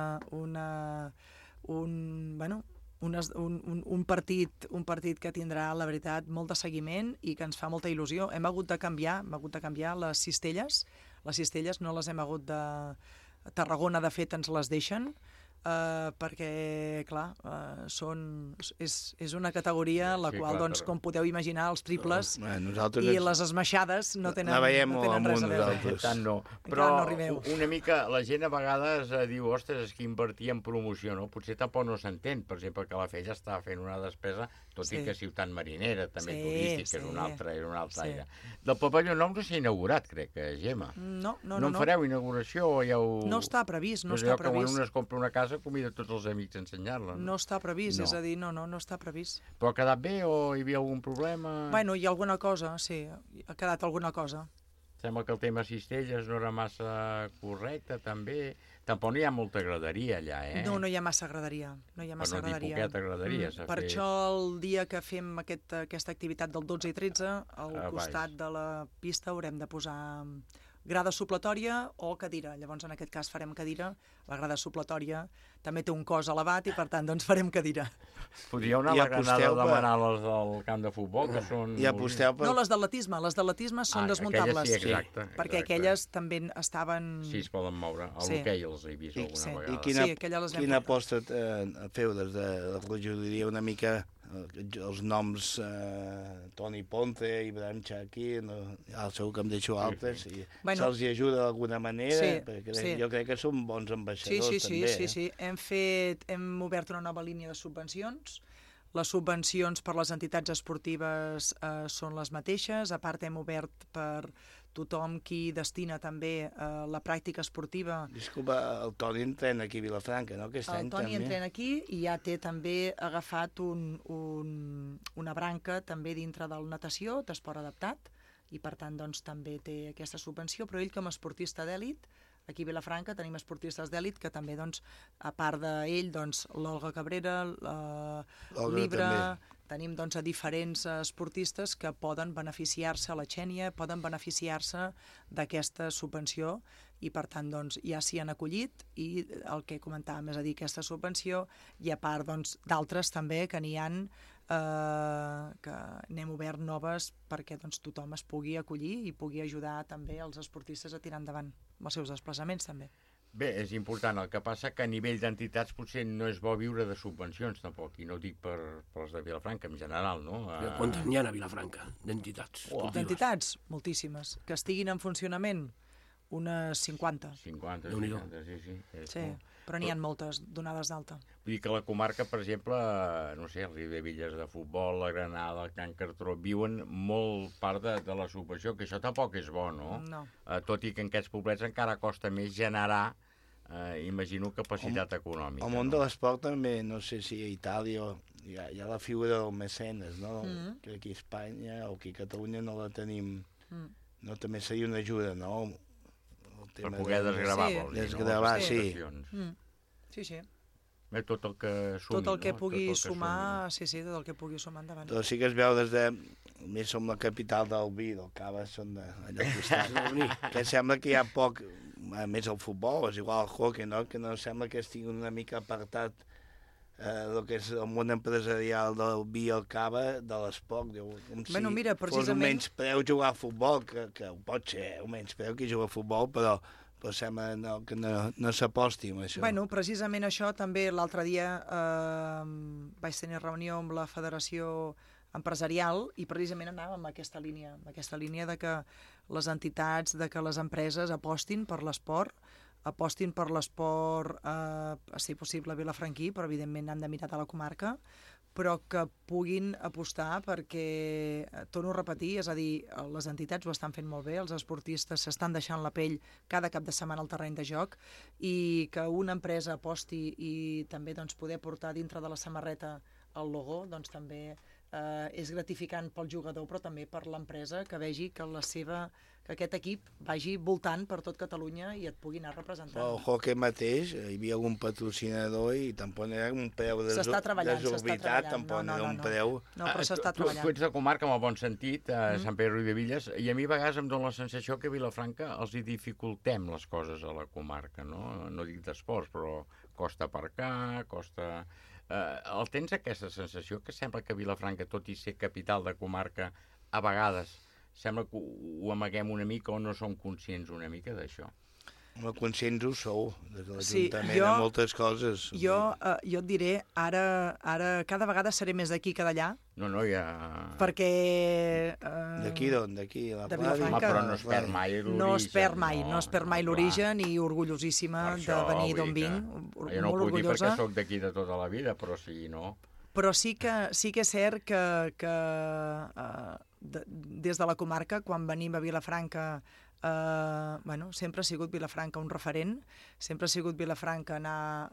partit que tindrà, la veritat, molt de seguiment i que ens fa molta il·lusió. Hem hagut de canviar les cistelles. Les cistelles no les hem hagut de... A Tarragona, de fet, ens les deixen, perquè, clar, és una categoria en la qual, com podeu imaginar, els triples i les esmaixades no tenen res a veure. Però una mica la gent a vegades diu, ostres, és que invertir en promoció, no? Potser tampoc no s'entén. Per exemple, que la FEIA està fent una despesa, tot i que ciutat marinera, també turístic, que és un altre aire. Del pavelló nou no s'ha inaugurat, crec, Gemma. No. No en fareu inauguració o ja ho... No està previst, no És està allò que previst. quan un es compra una casa convida tots els amics a ensenyar-la. No està previst, és a dir, no està previst. Però ha quedat bé o hi havia algun problema? Bueno, hi ha alguna cosa, sí, ha quedat alguna cosa. Sembla que el tema cistelles no era massa correcte, també. Tampoc no hi ha molta graderia allà, No, no hi ha massa graderia. No hi ha massa graderia. Per no dir poqueta graderia. Per això el dia que fem aquesta activitat del 12 i 13, al costat de la pista haurem de posar grada supletòria o cadira. Llavors, en aquest cas, farem cadira. La grada supletòria també té un cos elevat i, per tant, doncs farem cadira. Podríeu anar a la Granada a demanar les del camp de futbol, que són... No, les d'atletisme. Les d'atletisme són desmuntables. Aquelles sí, exacte. Perquè aquelles també estaven... Sí, es poden moure. A l'hoquei els he vist alguna vegada. I quina aposta feu des de la regidoria una mica... els noms Toni Ponce, Ibrahim Chakir, segur que em deixo altres, i se'ls ajuda d'alguna manera, perquè jo crec que són bons ambaixadors també. Sí. Hem obert una nova línia de subvencions. Les subvencions per les entitats esportives són les mateixes. A part, hem obert per tothom qui destina també la pràctica esportiva. Disculpa, el Toni entrena aquí a Vilafranca, no? El Toni entrena aquí i ja té també agafat una branca també dintre del natació, d'esport adaptat, i per tant doncs, també té aquesta subvenció, però ell com a esportista d'èlit, aquí a Vilafranca tenim esportistes d'èlit que també, doncs, a part d'ell, doncs, l'Olga Cabrera, l'Ibra, tenim doncs, a diferents esportistes que poden beneficiar-se, la Xènia, poden beneficiar-se d'aquesta subvenció i per tant doncs, ja s'hi han acollit i el que comentàvem és a dir, aquesta subvenció i a part doncs, d'altres també que n'hi han que n'hem obert noves perquè doncs, tothom es pugui acollir i pugui ajudar també els esportistes a tirar endavant amb els seus desplaçaments també. Bé, és important. El que passa que a nivell d'entitats potser no és bo viure de subvencions tampoc, i no ho dic per les de Vilafranca en general, no? Quantes n'hi ha a Vilafranca d'entitats? D'entitats? Moltíssimes. Que estiguin en funcionament? Unes 50. 50, sí. Sí, però n'hi ha moltes donades d'alta. Vull dir que la comarca, per exemple, no sé, el Riudebitlles de futbol, la Granada, el Can Cartró, viuen molt part de la subvenció, que això tampoc és bo, no? No. Tot i que en aquests poblets encara costa més generar, imagino, capacitat econòmica. El món de l'esport també, no sé si a Itàlia hi ha la figura del mecenes, no? Que aquí a Espanya o aquí a Catalunya no la tenim. No, també seria una ajuda, no? Per poder desgravar, vols dir, desgravar, no? Sí. Tot el que sumi, tot el que pugui sumar, sí, tot el que pugui sumar endavant. Però sí que es veu des de... Més som la capital del vi, del cava, són d'allò que sembla que hi ha poc, a més el futbol, és igual el hockey, no? Que no sembla que estigui una mica apartat el que és el món empresarial del vi i el cava de l'esport. Com si fos un menyspreu jugar a futbol, que ho pot ser, un menyspreu que juga a futbol, però sembla que no s'aposti amb això. Bueno, precisament això també l'altre dia vaig tenir reunió amb la Federació Empresarial i precisament anàvem en aquesta línia de que les entitats, de que les empreses apostin per l'esport, a ser possible vilafranquí, però evidentment han de mirar de la comarca, però que puguin apostar perquè, torno a repetir, és a dir, les entitats ho estan fent molt bé, els esportistes s'estan deixant la pell cada cap de setmana al terreny de joc i que una empresa aposti i també doncs, poder portar dintre de la samarreta el logo, doncs també és gratificant pel jugador, però també per l'empresa, que vegi que que aquest equip vagi voltant per tot Catalunya i et pugui anar representant. El hockey mateix, hi havia algun patrocinador i tampoc no era un preu desorbitat, tampoc no era un preu... No, però s'està treballant. Tu ets de comarca, amb el bon sentit, Sant Pere i Riudebitlles, i a mi a vegades em dóna la sensació que a Vilafranca els hi dificultem les coses a la comarca, no? No dic d'esports, però costa aparcar, costa... El tens aquesta sensació que sembla que Vilafranca, tot i ser capital de comarca, a vegades sembla que ho amaguem una mica o no som conscients una mica d'això? Conscients ho sou, des de l'Ajuntament, de moltes coses. Jo et diré, ara cada vegada seré més d'aquí que d'allà. No, ja... Perquè... D'aquí d'on? D'aquí, a la Vilafranca. Home, però no es perd mai l'origen. No es perd mai l'origen i orgullosíssima de venir d'on vinc. Jo no ho puc dir perquè sóc d'aquí de tota la vida, però sí, no? Però sí que és cert que des de la comarca, quan venim a Vilafranca, sempre ha sigut Vilafranca un referent, sempre ha sigut Vilafranca anar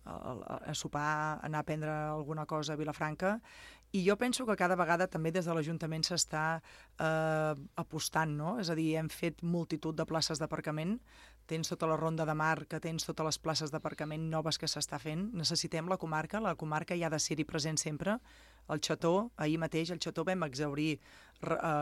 a sopar, anar a prendre alguna cosa a Vilafranca, i jo penso que cada vegada també des de l'Ajuntament s'està apostant, no? És a dir, hem fet multitud de places d'aparcament, tens tota la ronda de mar, que tens totes les places d'aparcament noves que s'està fent, necessitem la comarca hi ha de ser-hi present sempre. El Xató, ahir mateix, al Xató vam exaurir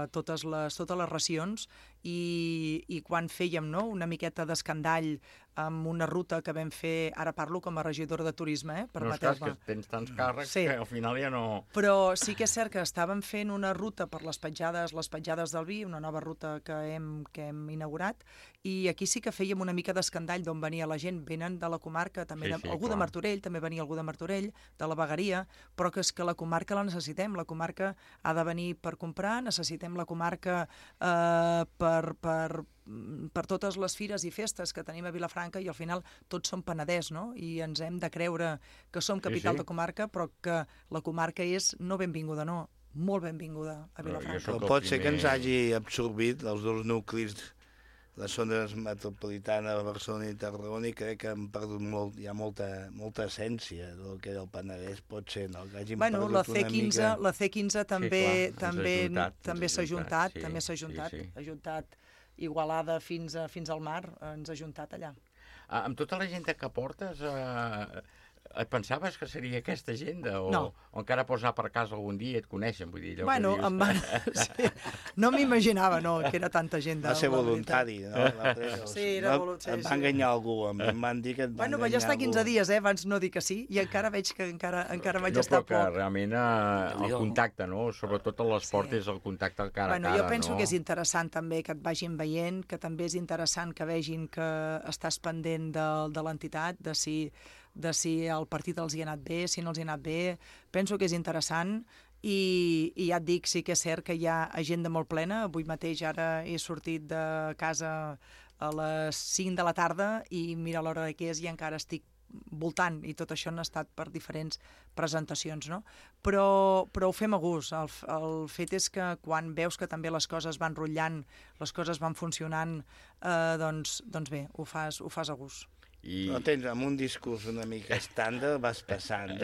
totes les racions i quan fèiem una miqueta d'escandall amb una ruta que vam fer, ara parlo com a regidora de turisme, permeteu-me. Que tens tants càrrecs que al final ja no... Però sí que és cert que estàvem fent una ruta per les petjades del vi, una nova ruta que hem inaugurat, i aquí sí que fèiem una mica d'escandall d'on venia la gent. Venen de la comarca, també algú de Martorell, també venia algú de Martorell, de la Vegueria, però que és que la comarca la necessitem. La comarca ha de venir per comprar, necessitem la comarca per totes les fires i festes que tenim a Vilafranca, i al final tots som Penedès, no? I ens hem de creure que som capital de comarca, però que la comarca és no benvinguda, no, molt benvinguda a Vilafranca. Pot ser que ens hagi absorbit els dos nuclis, les zones metropolitanes de Barcelona i Tarragona, i crec que han perdut molt, hi ha molta essència del que era el Penedès, pot ser, no? Que hagin perdut la C15 també s'ha ajuntat, ha ajuntat Igualada fins al mar, ens ha ajuntat allà. Amb tota la gent que portes, et pensaves que seria aquesta agenda? O encara pots anar per casa algun dia i et coneixen? Vull dir, no m'imaginava que era tanta gent. Va ser voluntari, no? Sí, era voluntari. Et va enganyar algú, em van dir que et va enganyar algú. Vaig estar 15 dies, abans no dir que sí, i encara veig que encara vaig estar poc. Però que realment el contacte, sobretot a l'esport, és el contacte cara a cara. Jo penso que és interessant també que et vagin veient, que també és interessant que vegin que estàs pendent de l'entitat, de si el partit els hi ha anat bé, si no els hi ha anat bé. Penso que és interessant i ja et dic, sí que és cert que hi ha agenda molt plena. Avui mateix ara he sortit de casa a les 5 de la tarda i mira l'hora que és i encara estic voltant, i tot això han estat per diferents presentacions, no? Però ho fem a gust. El fet és que quan veus que també les coses van rotllant, les coses van funcionant, doncs bé, ho fas a gust. No tens, amb un discurs una mica estàndard vas passant.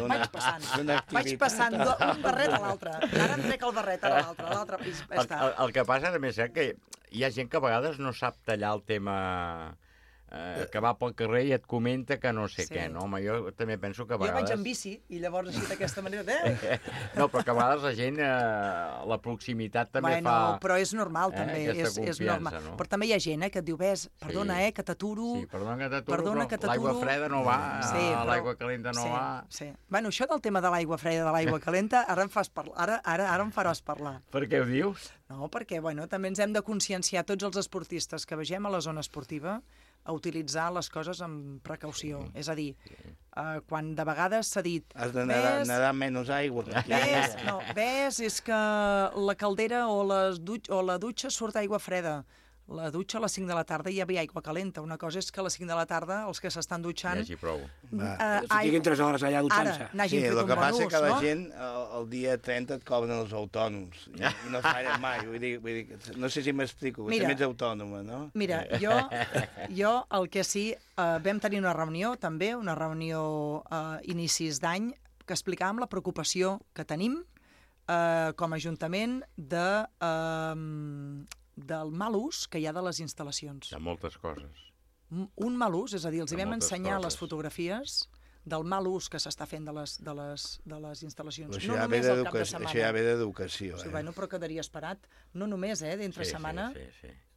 Vaig passant d'un barret a l'altre. Ara em trec el barret a l'altre. El que passa també és que hi ha gent que a vegades no sap tallar el tema que va pel carrer i et comenta que no sé què, no? Home, jo també penso que a vegades... Jo vaig en bici i llavors així d'aquesta manera... No, però que a vegades la gent, la proximitat també fa... Però és normal, també, és normal. Però també hi ha gent que et diu, perdona, que t'aturo... Sí, perdona que t'aturo, l'aigua freda no va, l'aigua calenta no va... Sí. Bueno, això del tema de l'aigua freda, de l'aigua calenta, ara em faràs parlar. Per què ho dius? No, perquè, també ens hem de conscienciar tots els esportistes que vegem a la zona esportiva a utilitzar les coses amb precaució. És a dir, quan de vegades s'ha dit... Has de nedar menys aigua. Ves, és que la caldera o la dutxa surt aigua freda. La dutxa a les 5 de la tarda hi havia aigua calenta. Una cosa és que a les 5 de la tarda els que s'estan dutxant... Ja hagi prou. Estiguin 3 hores allà dutxant-se. Sí, el que passa és que la gent el dia 30 et cobren els autònoms i no es fallen mai. Vull dir, no sé si m'explico, que també ets autònoma, no? Mira, jo el que sí, vam tenir una reunió també, una reunió inicis d'any, que explicàvem la preocupació que tenim com a Ajuntament del mal ús que hi ha de les instal·lacions. Hi ha moltes coses. Un mal ús, és a dir, els vam ensenyar les fotografies del mal ús que s'està fent de les instal·lacions. No només al cap de setmana. Això ja ve d'educació. Però quedaria esperat. No només, d'entre setmana.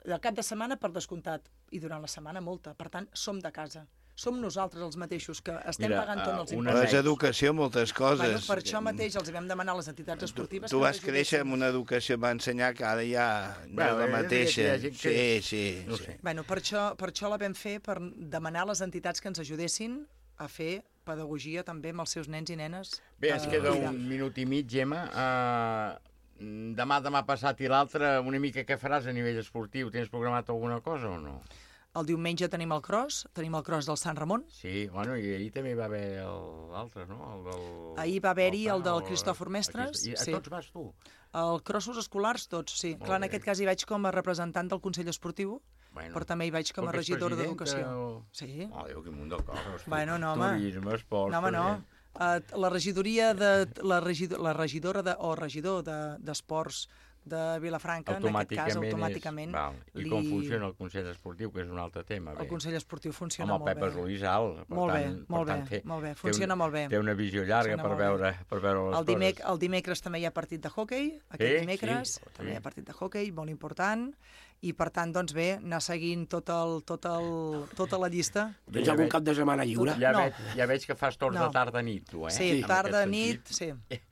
El cap de setmana, per descomptat, i durant la setmana molta. Per tant, som de casa. Som nosaltres els mateixos que estem pagant tots els impostos. És educació, moltes coses. Per això mateix els vam demanar a les entitats esportives... Tu vas créixer amb una educació, va ensenyar que ara ja no és la mateixa. Sí. Per això la vam fer, per demanar a les entitats que ens ajudessin a fer pedagogia també amb els seus nens i nenes. Bé, ens queda un minut i mig, Gemma. Demà passat i l'altre, una mica què faràs a nivell esportiu? Tens programat alguna cosa o no? El diumenge tenim el cross del Sant Ramon. Sí, bueno, i ahir també va haver l'altre, no? Ahir va haver-hi el del Cristòfor Mestres. I a tots vas tu? El crossos escolars, tots, sí. Clar, en aquest cas hi vaig com a representant del Consell Esportiu, però també hi vaig com a regidora d'Educació. Sí. Oh, Déu, quin munt de coses. Turisme, esport... La regidoria de... La regidora o regidor d'Esports de Vilafranca, en aquest cas, automàticament... I com funciona el Consell Esportiu, que és un altre tema? El Consell Esportiu funciona molt bé. Amb el Pepa Solís alt. Molt bé, funciona molt bé. Té una visió llarga per veure les coses. El dimecres també hi ha partit de hoquei, aquest dimecres també hi ha partit de hoquei, molt important, i per tant, doncs bé, anar seguint tota la llista. Tens algun cap de setmana lliure? Ja veig que fas torns de tarda-nit, tu, eh? Sí, tarda-nit, sí,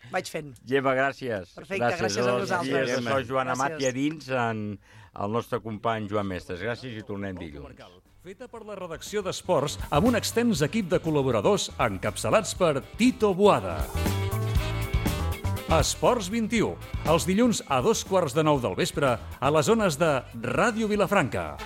vaig fent. Gemma, gràcies. Perfecte, gràcies a vosaltres. Soc Joan Amat i a dins el nostre company Joan Mestres. Gràcies i tornem dilluns. Feta per la redacció d'Esports amb un extens equip de col·laboradors encapçalats per Tito Boada. Esports 21, els dilluns a 2:15 del vespre a les ones de Ràdio Vilafranca.